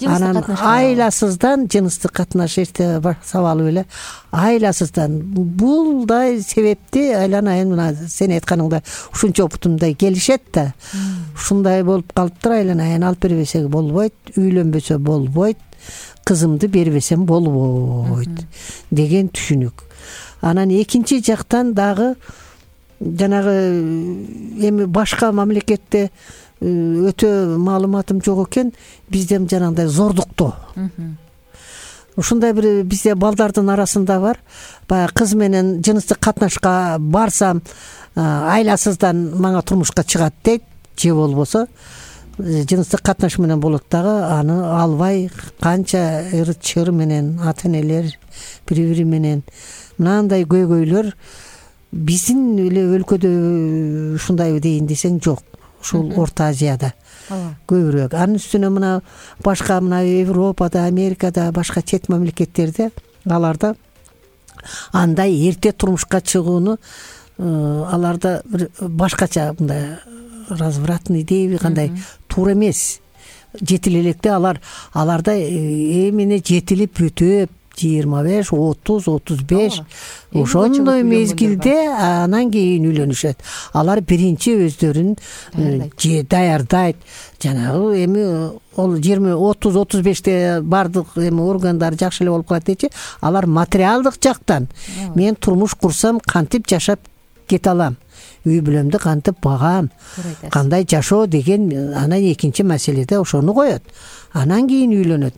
[SPEAKER 3] Анан айласыздан жыныстык катнаш эрте баштап алып эле айласыздан булдай себепти айланайын, мына сен айтканыңда ушунча опытымдай келишет да. Ушундай болуп калыптыр, айланайын, алып бербесек болбойт, үйлөнбөсө болбойт, кызымды бербесем болбойт деген түшүнүк. Анан экинчи жактан дагы жанагы эми башка мамлекетте өтө маалыматым жок экен, бизден жанагындай зордуктоо. Ушундай бир бизде балдардын арасында бар. Баягы кыз менен жыныстык катнашка барсам, айласыздан мага турмушка чыгат дейт, же болбосо жыныстык катнаш менен болот дагы, аны албай канча ыр-чыр менен ата-энелер бири-бири менен мынандай көйгөйлөр биздин эле өлкөдө ушундайбы дейин десең жок. ушул Орто Азияда көбүрөөк. Анын үстүнө мына башка мына Европада, Америкада, башка чет мамлекеттерде аларда андай эрте турмушка чыгууну аларда бир башкача мындай развратный дейби, кандай туура эмес. Жетил электе аларда эмне жетилип бүтүп 25, 30, 35 ошондой мезгилде анан кийин үйлөнүшөт. Алар биринчи өздөрүн даярдайт. Жанагы эми ол 20-30-35те бардык эми органдар жакшы эле болуп калат дейчи. Алар материалдык жактан мен турмуш курсам кантип жашап кете алам, үй бүлөмдү кантип багам, кандай жашоо деген анан экинчи маселеде ошону коет. Анан кийин үйлөнөт.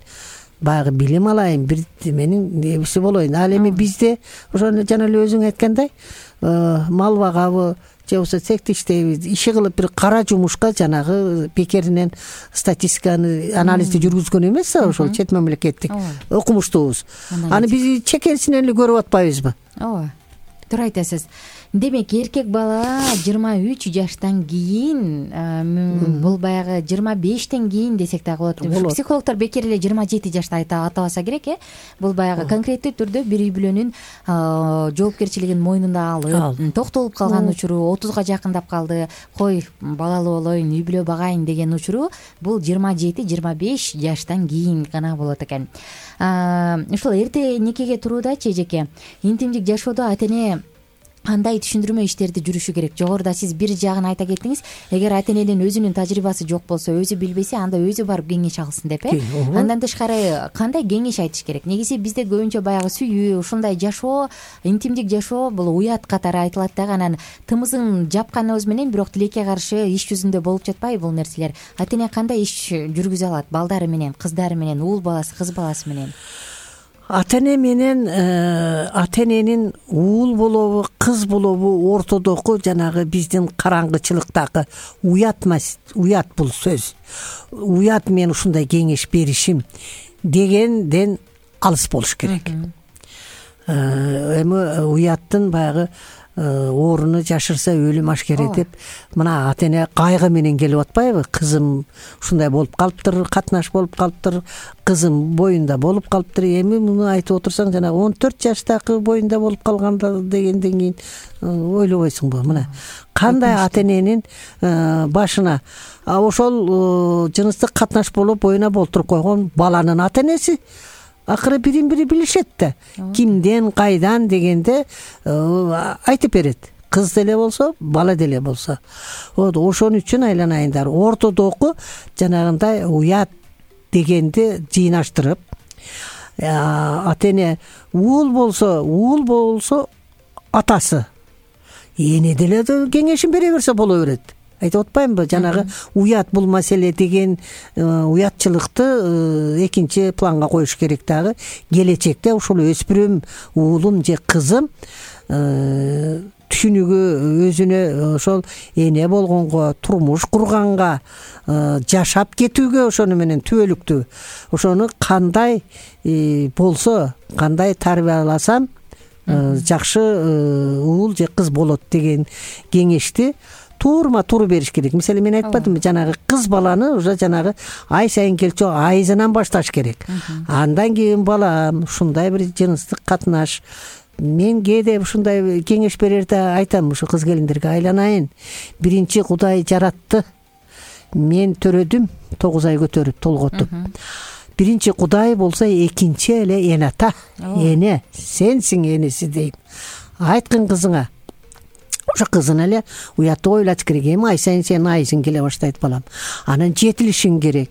[SPEAKER 3] Баягы билим алайын, бир менин небиси болоюн. Ал эми бизде ошону жана эле өзүң айткандай мал багабы же болбосо цехте иштейбиз, иши кылып бир кара жумушка жанагы бекеринен статистиканы анализди жүргүзгөн эмес ошол чет мамлекеттик окумуштуубуз. Аны биз чекерсинен эле көрүп атпайбызбы?
[SPEAKER 2] Ооба, туура айтасыз. Демек эркек бала 23 жаштан кийин, бул баягы 25тен кийин десек да болот. Психологдор бекер эле 27 жашта атабаса керек, Бул баягы конкреттүү түрдө бир үй бүлөнүн жоопкерчилигин мойнуна алып, токтолуп калган учуру, 30га жакындап калды, кой балалуу болоюн, үй бүлө багайын деген учуру бул 27-25 жаштан кийин гана болот экен. Ушул эрте никеге турууда эжеке, интимдик жашоодо ата-эне кандай түшүндүрмө иштерди жүрүшү керек? Жогоруда сиз бир жагын айта кеттиңиз, эгер ата-эненин өзүнүн тажрыйбасы жок болсо, өзү билбесе, анда өзү барып кеңеш алсын деп, Андан тышкары кандай кеңеш айтыш керек? Негизи бизде көбүнчө баягы сүйүү, ушундай жашоо, интимдик жашоо бул уят катары айтылат дагы, анан тымызын жапканыбыз менен бирок тилекке каршы иш жүзүндө болуп жатпайбы бул нерселер? Ата-эне кандай иш жүргүзө алат балдары менен, кыздары менен, уул баласы, кыз баласы менен?
[SPEAKER 3] Ата-эне менен ата-эненин уул болобу, кыз болобу ортодогу жанагы биздин караңгычылыктагы уят бул сөз. Уят мен ушундай кеңеш беришим дегенден алыс болуш керек. Эми уяттын баягы орunu жашырса өлүм ашкере деп мына ата-эне кайгы менен келип атпайбы? Кызым ушундай болуп калыптыр, катнаш болуп калыптыр, кызым боюнда болуп калыптыр. Эми муну айтып отурсаң жана 14 жаштагы боюнда болуп калганда дегенден кийин ойлобойсуңбу? Мына кандай ата-эненин башына ошол жыныстык катнаш болуп боюна болтуруп койгон баланын ата-энеси акыры бирин бири билишет да. Кимден, кайдан дегенде айтып берет. Кыз деле болсо, бала деле болсо. Ошон үчүн айланайындар. Ортодогу жанагындай уят дегенди жыйнаштырып, ата-эне уул болсо атасы, эне деле кеңешин бере берсе боло берет. Айтып атпаймынбы? Жанагы уят бул маселе деген уятчылыкты экинчи планга коюш керек дагы. Келечекте ушул өспүрүм уулум же кызым түшүнүгү өзүнө ошол эне болгонго, турмуш курганга, жашап кетүүгө ошону менен түбөлүктүү. Ошону кандай болсо, кандай тарбияласам жакшы уул же кыз болот деген кеңешти туура бериш керек. Мисалы мен айтпадымбы, жанагы кыз баланы уже жанагы ай сайын келчү айзынан башташ керек. Андан кийин балам ушундай бир жыныстык катнаш. Мен кээде ушундай кеңеш берерде айтам ушу кыз келиндерге, айланайын. Биринчи Кудай жаратты. Мен төрөдүм, 9 ай көтөрүп, толготуп. Биринчи Кудай болсо экинчи эле эн ата. Эне, сенсиң энеси дейм. Айткын кызыңа. Ошо кызын эле уяттуу ойлош керек. Эми ай сайын сен айсың келе баштайт балам. Анан жетилишиң керек.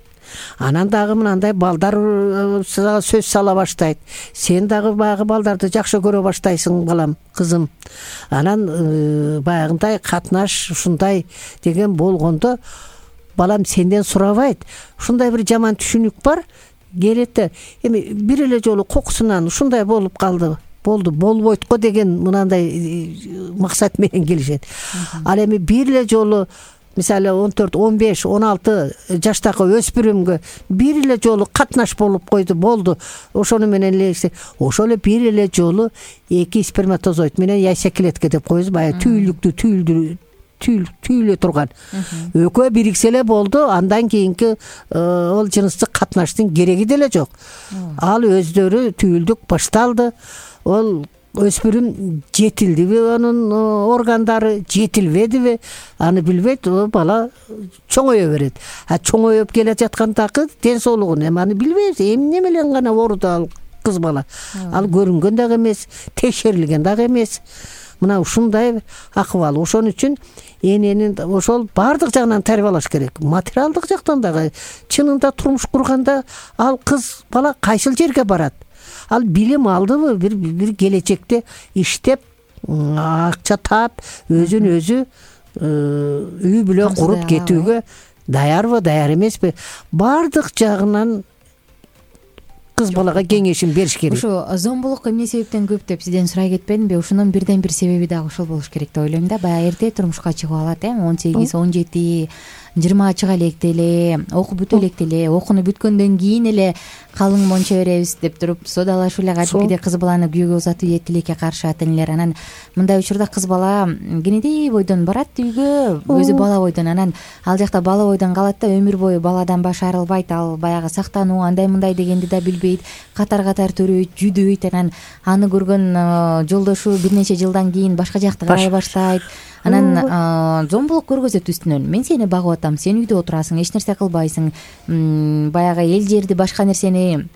[SPEAKER 3] Анан дагы мындай балдар сөз сала баштайт. Сен дагы баягы балдарды жакшы көрө баштайсың балам, кызым. Анан баягындай катнаш ушундай деген болгондо балам сенден сурабайт. Ушундай бир жаман түшүнүк бар. Келет эми бир эле жолу кокусунан ушундай болуп калды. Болду, болбойт го деген мынандай максат менен келишет. Ал эми бир эле жолу мисалы 14, 15, 16 жаштагы өспүрүмгө бир эле жолу катнаш болуп койду, болду. Ошону менен эле ошол эле бир эле жолу эки сперматозоид менен яйсек клетка деп коебуз, баягы түйүлдүктү түйүлө турган. Экөө бириксе эле болду, андан кийинки ол жыныстык катнаштын кереги деле жок. Ал өздөрү түйүлдүк башталды. Ол өспүрүм жетилдиби, анын органдары жетилбедиби, аны билбейт. Бала чоңое берет. Чоңоюп келе жаткандагы ден соолугун эми аны билбейбиз. Эмне менен гана ооруду ал кыз бала. Ал көрүнгөн дагы эмес, текшерилген дагы эмес. Мына ушундай акыбал. Ошон үчүн эненин ошол баардык жагынан тарбиялаш керек. Материалдык жактан дагы чынында турмуш курганда ал кыз бала кайсыл жерге барат? Ал билим алдыбы, бир келечекте иштеп, акча таап, өзүн өзү үй бүлө куруп кетүүгө даярбы, даяр эмеспи? Баардык жагынан кыз балага кеңешин бериш керек.
[SPEAKER 2] Ушу зомбулук эмне себептен көп деп сизден сурай кетпедимби? Ушунун бирден бир себеби дагы ошол болуш керек деп ойлойм да. Баягы эрте турмушка чыгып алат, 18, 17, 20 чыга электе эле, окуп бүтө электе эле, окууну бүткөндөн кийин эле калың монча беребиз деп туруп соодалашып эле кадимкидей кыз баланы күйөөгө узатып ийет, тилекке каршы ата энелер. Анан мындай учурда кыз бала кенедей бойдон барат үйгө, өзү бала бойдон. Анан ал жакта бала бойдон калат да, өмүр бою баладан башы арылбайт. Ал баягы сактануу, андай мындай дегенди да билбейт, катар төрөйт, жүдөйт. Анан аны көргөн жолдошу бир нече жылдан кийин башка жакты карай баштайт. Анан зомбулук көргөзөт үстүнөн. Мен сени багып атам, сен үйдө отурасың, эч нерсе кылбайсың. Баягы эл жерди, башка нерсени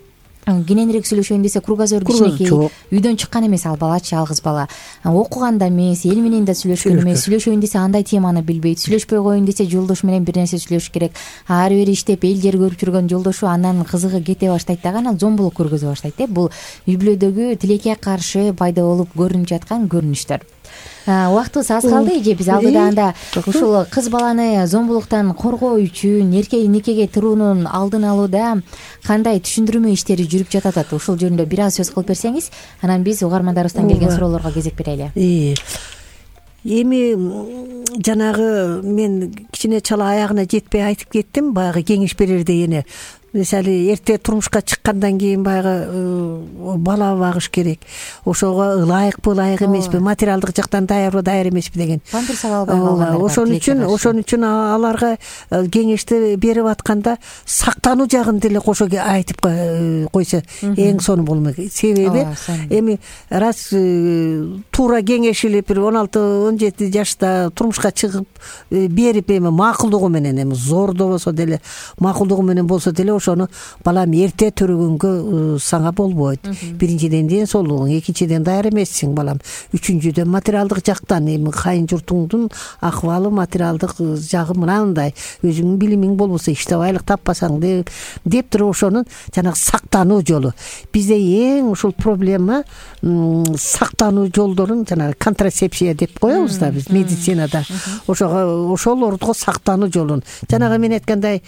[SPEAKER 2] кененирээк сүйлөшөйүн десе кругозор кичинекей, үйдөн чыккан эмес ал балачы, жалгыз бала. Окуган да эмес, эл менен да сүйлөшкөн эмес. Сүйлөшөйүн десе андай теманы билбейт. Сүйлөшпөй коеюн десе жолдошу менен бир нерсе сүйлөшүш керек. Ары бери иштеп эл жер көрүп жүргөн жолдошу андан кызыгы кете баштайт дагы, анан зомбулук көргөзө баштайт. Бул үй бүлөдөгү тилекке каршы пайда болуп көрүнүп жаткан көрүнүштөр. Убактыбыз аз калды эже. Биз алдыда анда ушул кыз баланы зомбулуктан коргоо үчүн никеге туруунун алдын алууда кандай түшүндүрмө иштери жүрүп жатат, ушул жөнүндө бир аз сөз кылып берсеңиз, анан биз угармандарыбыздан келген суроолорго кезек берели.
[SPEAKER 3] Эми жанагы мен кичине чала аягына жетпей айтып кеттим, баягы кеңеш берерде эне. Мисалы эрте турмушка чыккандан кийин баягы бала багыш керек. Ошого ылайыкпы, ылайык эмеспи, материалдык жактан даярбы, даяр эмеспи деген.
[SPEAKER 2] Памперс ала албай калгандар.
[SPEAKER 3] Ошон үчүн аларга кеңешти берип атканда сактануу жагын деле кошо айтып койсо эң сонун болмок. Себеби эми раз туура кеңешилип бир 16-17 жашта турмушка чыгып берип эми макулдугу менен, эми зордобосо деле, макулдугу менен болсо деле ошону балам эрте төрөгөнгө саңа болбойт. Биринчиден ден соолугуң, экинчиден даяр эмессиң балам, үчүнчүдөн материалдык жактан эми кайын журтуңдун акыбалы, материалдык жагы мынандай, өзүңдүн билимиң болбосо иштеп айлык таппасаң деп туруп ошонун жанагы сактануу жолу. Бизде эң ушул проблема сактануу жолдорун жанагы контрацепция деп коебуз да биз медицинада. Ошолордо сактануу жолун жанагы мен айткандай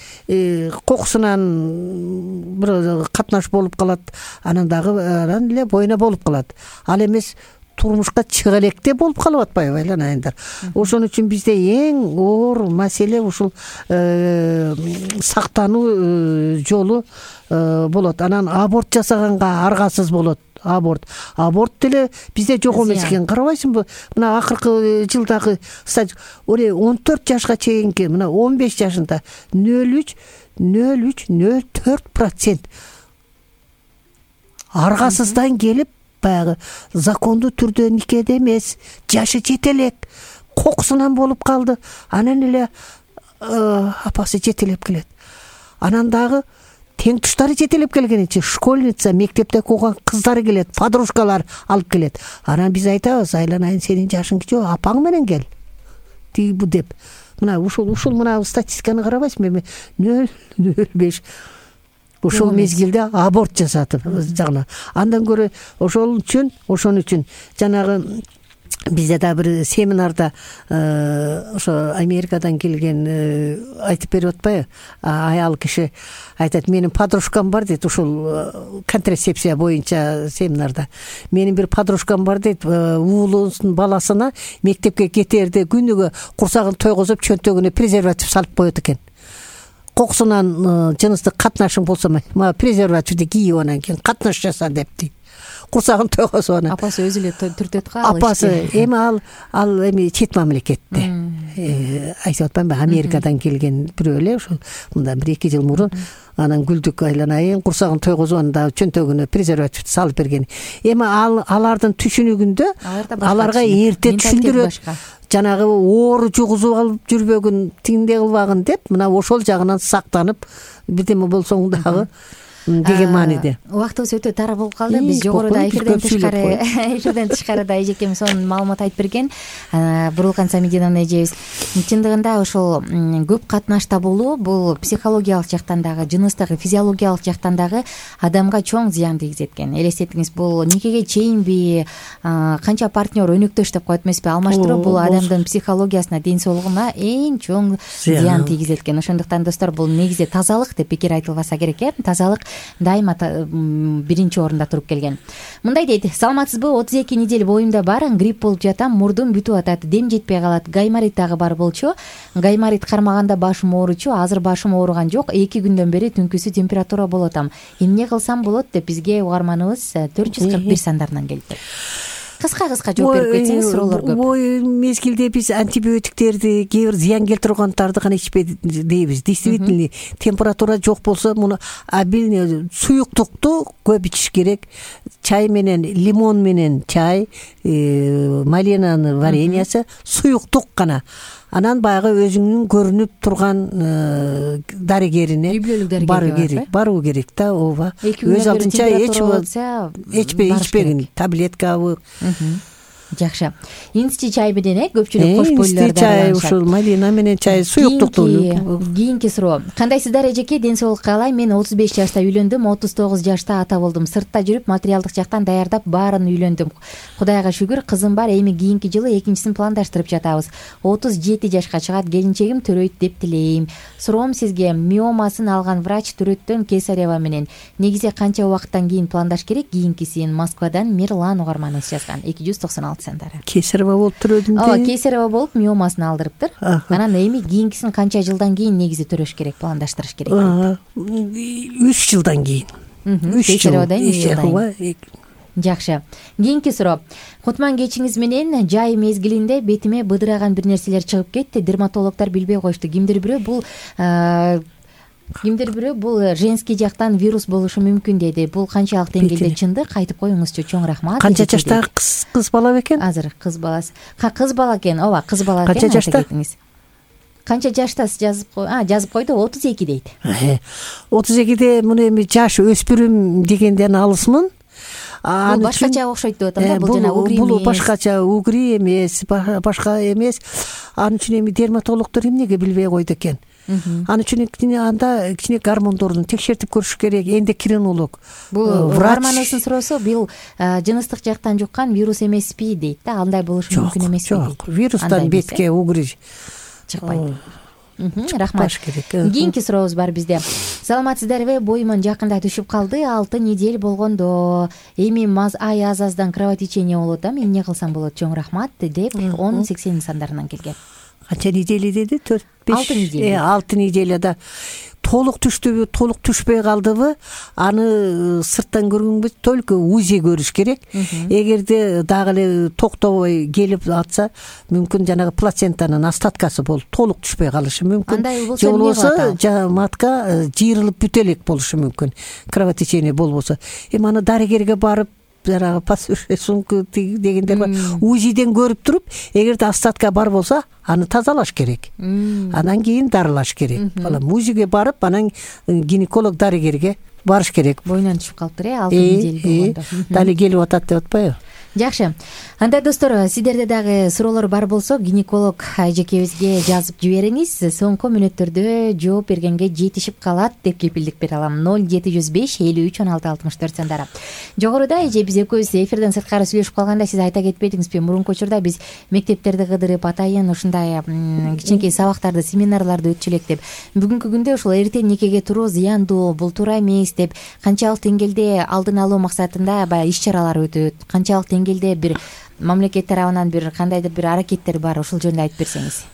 [SPEAKER 3] кокусунан бир катнаш болуп калат, анан дагы анан эле боюна болуп калат. Ал эмес турмушка чыга электе болуп калып атпайбы айланайындар. Ошон үчүн бизде эң оор маселе ушул сактануу жолу болот. Анан аборт жасаганга аргасыз болот. Аборт деле бизде жок эмес экен. Карабайсыңбы? Мына акыркы жылдагы 14 жашка чейинки, мына 15 жашында 0,04% аргасыздан келип баягы закондуу түрдө никеде эмес, жашы жете элек, кокусунан болуп калды. Анан эле апасы жетелеп келет. Анан дагы тең туштары жетелеп келгенинче школьница, мектепте окуган кыздары келет, подружкалар алып келет. Анан биз айтабыз, айланайын сенин жашың жок, апаң менен кел. Бу деп. Мына ушул мына статистиканы карабайсыңбы? 0,05 ошол мезгилде аборт жасатып жагына. Андан көрө ошон үчүн жанагы бизде да бир семинарда ошо Америкадан келген айтып берип атпайбы? Аял киши айтат, менин подружкам бар дейт, ушул контрацепция боюнча семинарда. Менин бир подружкам бар дейт, уулунун баласына мектепке кетерде күнүгө курсагын тойгозуп чөнтөгүнө презерватив салып коет экен. Кокусунан жыныстык катнашың болсо, презервативди кийип анан кийин катнаш жаса деп дейт. курсагын тойгозуп анан
[SPEAKER 2] апасы өзү эле түртөт го
[SPEAKER 3] апасы эми ал эми чет мамлекетте айтып атпаймынбы, Америкадан келген бирөө эле ушул мындан 1-2 жыл мурун анан гүлдүк айланайын курсагын тойгозуп анда чөнтөгүнө презерватив салып берген. Эми алардын түшүнүгүндө аларга эрте түшүндүрөт, жанагы оору жугузуп алып жүрбөгүн, тиңде кылбагын деп, мына ошол жагынан сактанып бирдеме болсоң дагы деген мааниде.
[SPEAKER 2] Убактыбыз өтө тар болуп калды. Биз жогоруда эфирден тышкарыда эжекем сонун маалымат айтып берген. Бурулган Самидиновна эжебиз чындыгында ошол көп катнашта болуу бул психологиялык жактан дагы, жыныстык, физиологиялык жактан дагы адамга чоң зыян тийгизет экен. Элестетиңиз, бул никеге чейинби, канча партнер өнөктөш деп коет эмеспи, алмаштыруу бул адамдын психологиясына, ден соолугуна эң чоң зыян тийгизет экен. Ошондуктан достор, бул негизи тазалык деп пикир айтылбаса керек Тазалык дайыма биринчи орунда туруп келген. Мындай дейт: саламатсызбы, 32 неделе боюмда бар, грипп болуп жатам, мурдум бүтүп атат, дем жетпей калат, гайморит дагы бар болчу. Гайморит кармаганда башым ооручу, азыр башым ооруган жок, 2 күндөн бери түнкүсү температура болуп атам. Эмне кылсам болот деп бизге угарманыбыз 441 сандарынан келди. Кыска жооп берип кетсеңиз, суроолор көп.
[SPEAKER 3] Ой, мезгилде биз антибиотиктерди, кээ бир зыян келтиргандарды гана ичпей дейбиз. Действительно, температура жок болсо, муну суюктукту көп ичиш керек. Чай менен, лимон менен чай, малинанын вареньясы, суюктук гана. Анан баягы өзүңнүн көрүнүп турган дарыгерине баруу керек да, ооба. Өз алдынча ичпегин, таблеткабы.
[SPEAKER 2] Жакшы. Инсти чай менен көпчүлүк кош бойлуулар
[SPEAKER 3] да. Чай, ушул малина менен чай, суюктукту.
[SPEAKER 2] Кийинки суроо. Кандайсыздар эжеке, ден соолук каалайм. Мен 35 жашта үйлөндүм, 39 жашта ата болдум. Сыртта жүрүп, материалдык жактан даярдап баарын үйлөндүм. Кудайга шүгүр, кызым бар. Эми кийинки жылы экинчисин пландаштырып жатабыз. 37 жашка чыгат, келинчегим төрөйт деп тилейм. Суроом сизге: миомасын алган врач төрөттөн кесарева менен негизи канча убакыттан кийин пландаш керек? Кийинкисин Москвадан Мирлан угарманыбыз жазган. 296 сандары.
[SPEAKER 3] Кесарева болуп төрөдүм.
[SPEAKER 2] Ооба, кесарева болуп миомасын алдырыптыр. Анан эми кийинкисин канча жылдан кийин негизи төрөш керек, пландаштырыш керек?
[SPEAKER 3] 3 жылдан кийин. 3 жыл.
[SPEAKER 2] Жакшы. Кийинки суроо. Кутман кечиңиз менен жай мезгилинде бетиме быдыраган бир нерселер чыгып кетти. Дерматологдор билбей коюшту. Кимдир бирөө бул женский жактан вирус болушу мүмкүн деди. Бул канчалык деңгээлде чындык? Айтып коюңузчу. Чоң рахмат.
[SPEAKER 3] Канча жаштагы кыз бала бекен?
[SPEAKER 2] Азыр кыз баласы. Кыз бала экен. Ооба, кыз бала экен.
[SPEAKER 3] Канча жашта?
[SPEAKER 2] Канча жаштасыз? Жазып койду, 32 дейт.
[SPEAKER 3] 32де муну эми жаш өспүрүм дегенден алысмын.
[SPEAKER 2] Бул башкача окшойт деп атам да, бул жана угри эмес.
[SPEAKER 3] Бул башкача, угри эмес, башка эмес. Анын үчүн эми дерматологдор эмнеге билбей койду экен? Анын үчүн анда кичине гормондорун текшертип көрүш керек, эндокринолог.
[SPEAKER 2] Бул гормоносун суроосу, бул жыныстык жактан жуккан вирус эмеспи дейт да, андай болушу мүмкүн эмеспи?
[SPEAKER 3] Жок, вирустан бетке угри
[SPEAKER 2] чыкпайт. Рахмат. Кийинки сурообуз бар бизде. Саламатсыздарбы? Боюмун жакында түшүп калды, 6 неделе болгондо. Эми ай аз-аздан кровотечение болуп атам. Эмне кылсам болот? Чоң рахмат деп 1080 сандарынан келген.
[SPEAKER 3] Канча неделе деди? 4-5.
[SPEAKER 2] 6 неделе.
[SPEAKER 3] 6 неделеда толук түштүбү, толук түшпөй калдыбы? Аны сырттан көргөнгө только УЗИ көрүш керек. Эгерде дагы эле токтобой келип атса, мүмкүн жанагы плацентанын остаткасы болуп толук түшпөй калышы мүмкүн. Же болбосо матка жыйрылып бүтө элек болушу мүмкүн. Кровотечение болбосо. Эми аны дарыгерге барып, жанагы сумка дегендер бар. УЗИден көрүп туруп, эгерде остатка бар болсо, аны тазалаш керек. Анан кийин дарылаш керек. Балам УЗИге барып, анан гинеколог дарыгерге барыш керек.
[SPEAKER 2] Бойунан түшүп калыптыр, 6 неделе болгондо.
[SPEAKER 3] Дали келип атат деп атпайбы?
[SPEAKER 2] Жакшы. Анда достор, сиздерде дагы суроолор бар болсо, гинеколог эжекебизге жазып жибериңиз. Соңку мүнөттөрдө жооп бергенге жетишип калат деп кепилдик бере алам. 0705 53 16 64 сандары. Жогоруда эже биз экөөбүз эфирден сырткары сүйлөшүп калганда сиз айта кетпедиңизби? Мурунку учурда биз мектептерди кыдырып, атайын ушундай кичинекей сабактарды, семинарларды өтчү элек деп. Бүгүнкү күндө ушул эрте никеге туруу зыяндуу, бул туура эмес деп, канчалык деңгээлде алдын алуу максатында иш-чаралар өтөт, канчалык деңгээлде бир мамлекет тарабынан бир кандайдыр бир аракеттер бар, ушул жөнүндө айтып берсеңиз.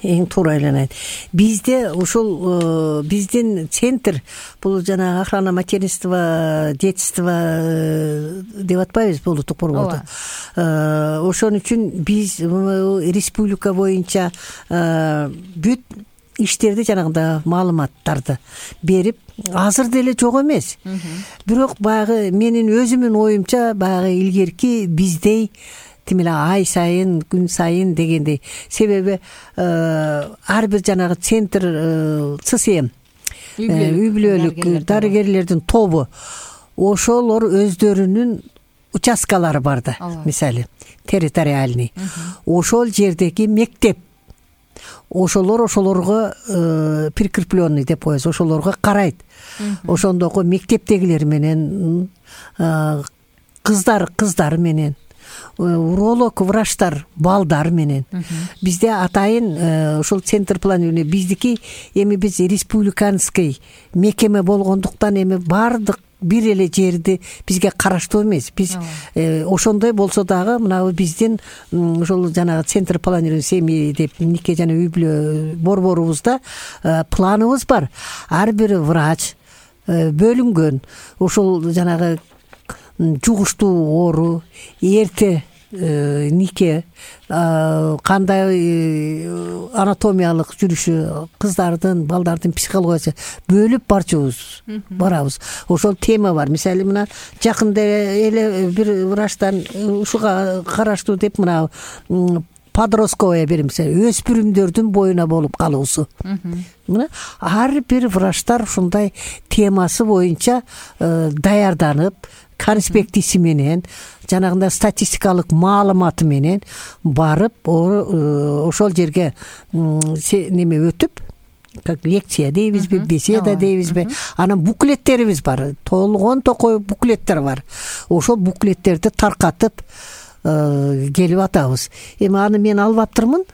[SPEAKER 3] Эң туура эле бизде ушул биздин центр бул жанагы охрана материнства, детства деп атпайбызбы улуттук борбордо. Ошон үчүн биз республика боюнча бүт иштерди жанагында маалыматтарды берип, азыр деле жок эмес. Бирок баягы менин өзүмдүн оюмча баягы илгерки биздей тим эле ай сайын, күн сайын дегендей. Себеби ар бир жанагы центр ЦСМ, үй бүлөлүк дарыгерлердин тобу, ошолор өздөрүнүн участкалары бар да, мисалы территориальный. Ошол жердеги мектеп, ошолорго прикрепленный деп коебуз, ошолорго карайт. Ошондогу мектептегилер менен, кыздар менен, уролог врачтар балдар менен. Бизде атайын ошол центр планирования биздики, эми биз республиканский мекеме болгондуктан эми бардык бир эле жерди бизге караштуу эмес. Биз ошондой болсо дагы мына биздин ошол жанагы центр планирования семьи деп нике жана үй бүлө борборубузда планыбыз бар. Ар бир врач бөлүнгөн. Ошол жанагы жугуштуу оору, эрте нике, кандай анатомиялык жүрүшү, кыздардын, балдардын психологиясы бөлүп барчубуз барабыз. Ошол тема бар. Мисалы мына жакында эле бир врачтан ушуга караштуу деп мына подростковая беримсе, өспүрүмдөрдүн боюна болуп калуусу. Мына ар бир врачтар ушундай темасы боюнча даярданып, конспектиси менен, жанагында статистикалык маалыматы менен барып, ошол жерге неме өтүп, как лекция дейбизби, беседа дейбизби, анан буклеттерибиз бар, толгон токой буклеттер бар. Ошол буклеттерди таркатып келип атабыз. Эми аны мен албаптырмын.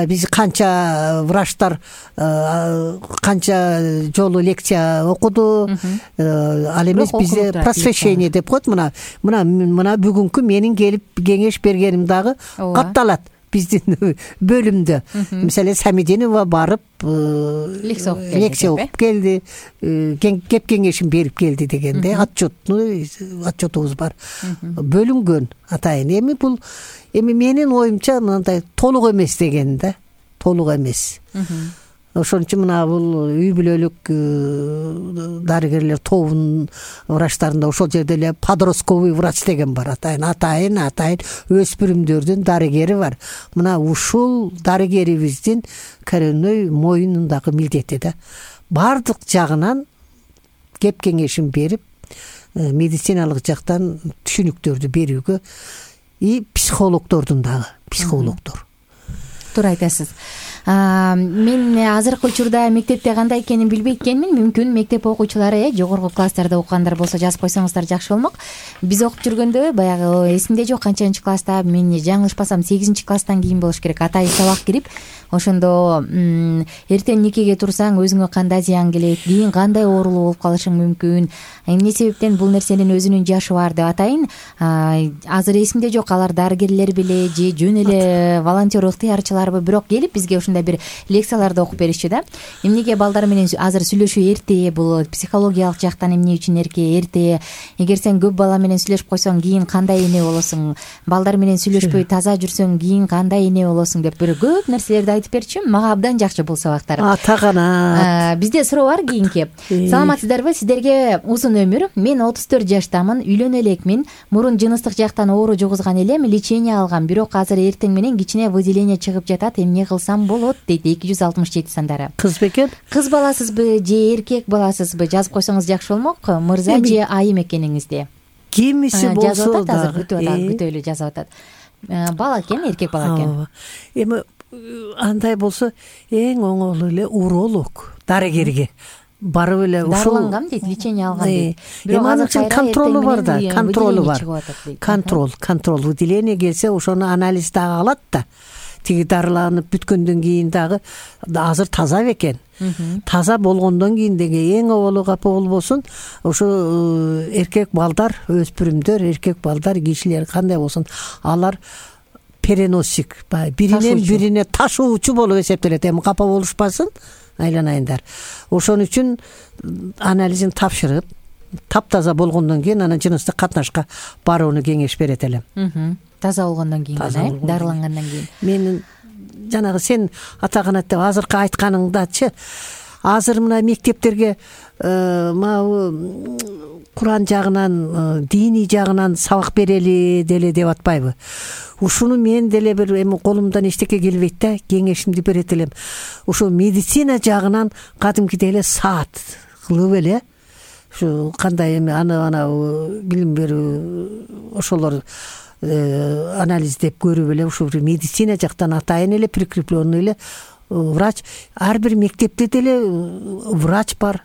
[SPEAKER 3] Биз канча врачтар канча жолу лекция окуду. Ал эмес бизде просвещение деп коет. Мына бүгүнкү менин келип кеңеш бергеним дагы катталат биздин бөлүмдө. Мисалы Самидинова барып лекция окуп келди, кеп кеңешин берип келди дегенде отчетубуз бар. Бөлүнгөн атайын. Эми менин оюмча мындай толук эмес деген да, толук эмес. Ошон үчүн мына бул үй бүлөлүк дарыгерлер тобунун врачтарында ошол жерде эле подростковый врач деген бар. Атайын өспүрүмдөрдүн дарыгери бар. Мына ушул дарыгерибиздин коренной моюнундагы милдети да. Бардык жагынан кеп кеңешин берип, медициналык жактан түшүнүктөрдү берүүгө, и психологдордун дагы, психологдор.
[SPEAKER 2] Туура айтасыз. Мен азыркы учурда мектепте кандай экенин билбей экенмин. Мүмкүн мектеп окуучулары жогорку класстарда окугандар болсо жазып койсоңуздар жакшы болмок. Биз окуп жүргөндө баягы эсимде жок канчанчы класста, мен жаңылышпасам 8-класстан кийин болуш керек, атайын сабак кирип, ошондо эртең никеге турсаң өзүңө кандай зыян келет, кийин кандай оорулуу болуп калышың мүмкүн, эмне себептен бул нерсенин өзүнүн жашы бар деп атайын. Азыр эсимде жок, алар дарыгерлер беле же жөн эле волонтер ыктыярчыларбы, бирок келип бизге ушундай бир лекцияларды окуп беришчү да. Эмнеге балдар менен азыр сүйлөшүү эрте, бул психологиялык жактан эмне үчүн эрте, эгер сен көп бала менен сүйлөшүп койсоң кийин кандай эне болосуң, балдар менен сүйлөшпөй таза жүрсөң кийин кандай эне болосуң деп бир көп нерселерди айтып берчү. Мага абдан жакшы бул сабактар.
[SPEAKER 3] Тагана.
[SPEAKER 2] Бизде суроо бар кийинки. Саламатсыздарбы? Сиздерге узун өмүр. Мен 34 жаштамын, үйлөнө элекмин. Мурун жыныстык жактан оору жугузган элем, лечение алгам, бирок азыр эртең менен кичине выделение чыгып жатат. Эмне кылсам болот дейт 267 сандары.
[SPEAKER 3] Кыз бекен?
[SPEAKER 2] Кыз баласызбы же эркек баласызбы? Жазып койсоңуз жакшы болмок. Мырза же айым экениңизди.
[SPEAKER 3] Кимиси болсо да
[SPEAKER 2] күтө эле жазып атат. Бала экен, эркек бала экен.
[SPEAKER 3] Эми андай болсо эң оңолу эле уролог дарыгерге барып эле ушул
[SPEAKER 2] дарылангам дейт, лечение алган дейт.
[SPEAKER 3] Эми анын үчүн контролу бар да, контролу бар. Контроль выделение келсе ошону анализ дагы алат да. тиги дарыланып бүткөндөн кийин дагы азыр таза бекен. Таза болгондон кийин деги эң оболу капа болбосун ошо эркек балдар, өспүрүмдөр, эркек балдар, кишилер кандай болсун, алар переносчик, биринен бирине ташуучу болуп эсептелет. Эми капа болушпасын айланайындар. Ошон үчүн анализин тапшырып, таптаза болгондон кийин анан жыныстык катнашка барууну кеңеш берет элем.
[SPEAKER 2] Таза болгондон кийин, дарылангандан кийин.
[SPEAKER 3] Мен жанагы сен атаганат деп азыркы айтканыңдачы, азыр мына мектептерге Куран жагынан, диний жагынан сабак берели деле деп атпайбы? Ушуну мен деле бир эми колумдан эчтеке келбейт да, кеңешимди берет элем. Ушу медицина жагынан кадимкидей эле саат кылып эле, ушу кандай эми аны билим берүү ошолор анализдеп көрүп эле, ушу медицина жактан атайын эле прикрепленный эле врач, ар бир мектепте деле врач бар,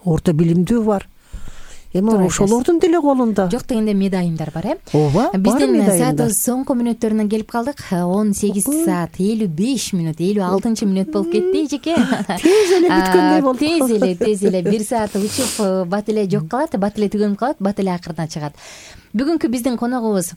[SPEAKER 3] орто билимдүү бар. Эми ошолордун деле колунда.
[SPEAKER 2] Жок дегенде медайымдар бар,
[SPEAKER 3] Ооба,
[SPEAKER 2] биздин саатыбыз соңку мүнөттөрүнө келип калдык. 18 саат 55 мүнөт, 56 мүнөт болуп кетти эжеке.
[SPEAKER 3] Тез эле бүткөндөй болду.
[SPEAKER 2] Тез эле 1 саат учуп бат эле жок калат, бат эле түгөнүп калат, бат эле акырына чыгат. Бүгүнкү биздин коногубуз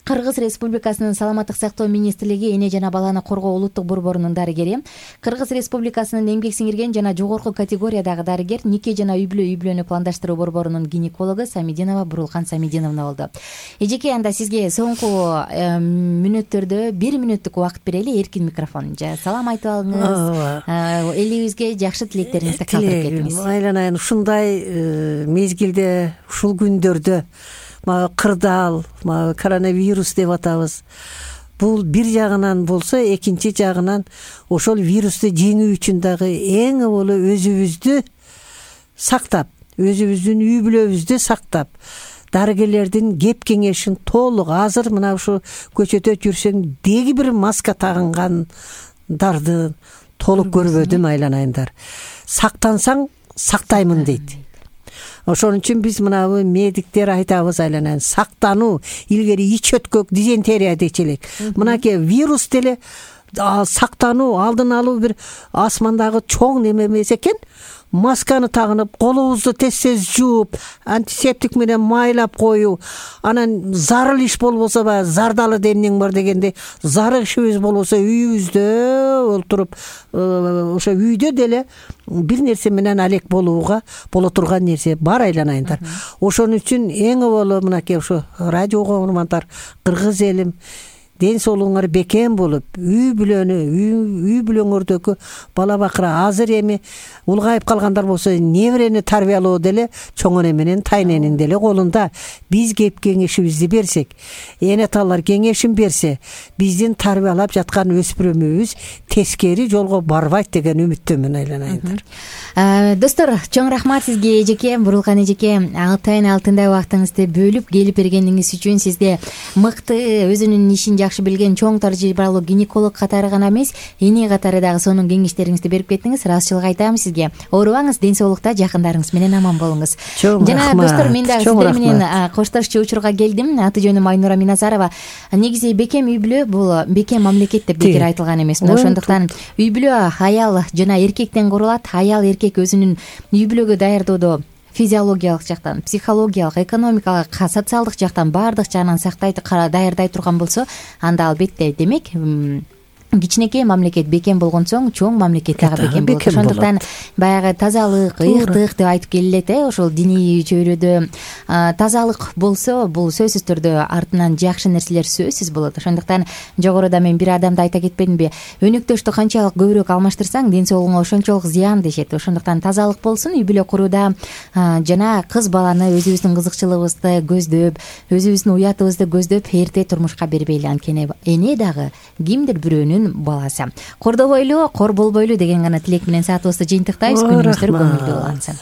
[SPEAKER 2] Кыргыз Республикасынын Саламаттык сактоо министрлиги эне жана баланы коргоо улуттук борборунун дарыгери, Кыргыз Республикасынын эмгек сиңирген жана жогорку категориядагы дарыгер, нике жана үй-бүлөнү пландаштыруу борборунун гинекологу Самидинова Бурулкан Самидиновна болду. Эжеке, анда сизге соңку мүнөттөрдө 1 мүнөттүк убакыт берели, эркин микрофон. Салам айтып алыңыз. Элибизге жакшы тилектериңизди калтырып кетиңиз.
[SPEAKER 3] Айланайын, ушундай мезгилде, ушул күндөрдө кырдаал, коронавирус деп атабыз. Бул бир жагынан болсо, экинчи жагынан ошол вирусту жеңүү үчүн дагы эң боло өзүбүздү сактап, өзүбүздүн үй-бүлөбүздү сактап, дарыгерлердин кеп кеңешин толук, азыр мына ушу көчөдө жүрсөң деги бир маска тагынгандарды толук көрбөдүм, айланайындар. Сактансаң сактаймын дейт. Ошон үчүн биз мынабы медиктер айтабыз, айланайын, сактануу, илгери ич өткөк, дизентерия дечи элек. Мынакей вирус деле сактануу, алдын алуу бир асмандагы чоң неме эмес экен. Масканы тагынып, колубузду тез жууп, антисептик менен майлап коюу, анан зарыл иш болбосо баягы зардалы демнең бар дегенде, зарык ишибиз болбосо үйүбүздө олтуруп, ошо үйдө деле бир нерсе менен алек болууга боло турган нерсе бар, айланайындар. Ошон үчүн эң оболу мынакей ошо радио угармандар, кыргыз элим, ден соолугуңар бекем болуп, үй-бүлөңөрдөгү бала бакыра азыр эми улгайып калгандар болсо, неберени тарбиялоо деле чоң эне менен тайненин деле колунда. Биз кеп кеңешибизди берсек, эне аталар кеңешин берсе, биздин тарбиялап жаткан өспүрүмүбүз тескери жолго барбайт деген үмүттөмүн, айланайындар.
[SPEAKER 2] Достор, чоң рахмат сизге, эжеке, Бурулкан эжеке, атайын алтындай убактыңызды бөлүп келип бергениңиз үчүн. Сизде мыкты, өзүнүн ишин жакшы билген чоң тажрыйбалуу гинеколог катары гана эмес, эне катары дагы сонун кеңештериңизди берип кеттиңиз. Ыраазычылык айтам сизге. Оорубаңыз, ден соолукта, жакындарыңыз менен аман болуңуз. Жана достор, мен дагы сиздер менен коштошчу учурга келдим. Аты жөнүм Айнура Миназарова. Негизи бекем үй-бүлө бул бекем мамлекет деп бекер айтылган эмес. Ошондуктан үй-бүлө аял жана эркектен курулат. Аял, эркек өзүнүн үй-бүлөгө даярдоодо физиологиялык жактан, психологиялык, экономикалык, социалдык жактан баардык жагынан даярдай турган болсо, анда албетте, демек, кичинекей мамлекет бекем болгон соң чоң мамлекет дагы бекем болот. Ошондуктан баягы тазалык, ыйыктык деп айтып келилет, ошол диний чөйрөдө тазалык болсо, бул сөзсүз түрдө артынан жакшы нерселер сөзсүз болот. Ошондуктан жогоруда мен бир адамды айта кетпедимби, өнөктөштү канчалык көбүрөөк алмаштырсаң, ден соолугуңа ошончолук зыян дешет. Ошондуктан тазалык болсун үй-бүлө курууда, жана кыз баланы өзүбүздүн кызыкчылыгыбызды көздөп, өзүбүздүн уятыбызды көздөп эрте турмушка бербейли. Анткени эне дагы кимдир бирөөнүн баласы. Кордобойлу, кор болбойлу деген гана тилек менен саатыбызды жыйынтыктайбыз. Күнүңүздөр көңүлдүү улансын.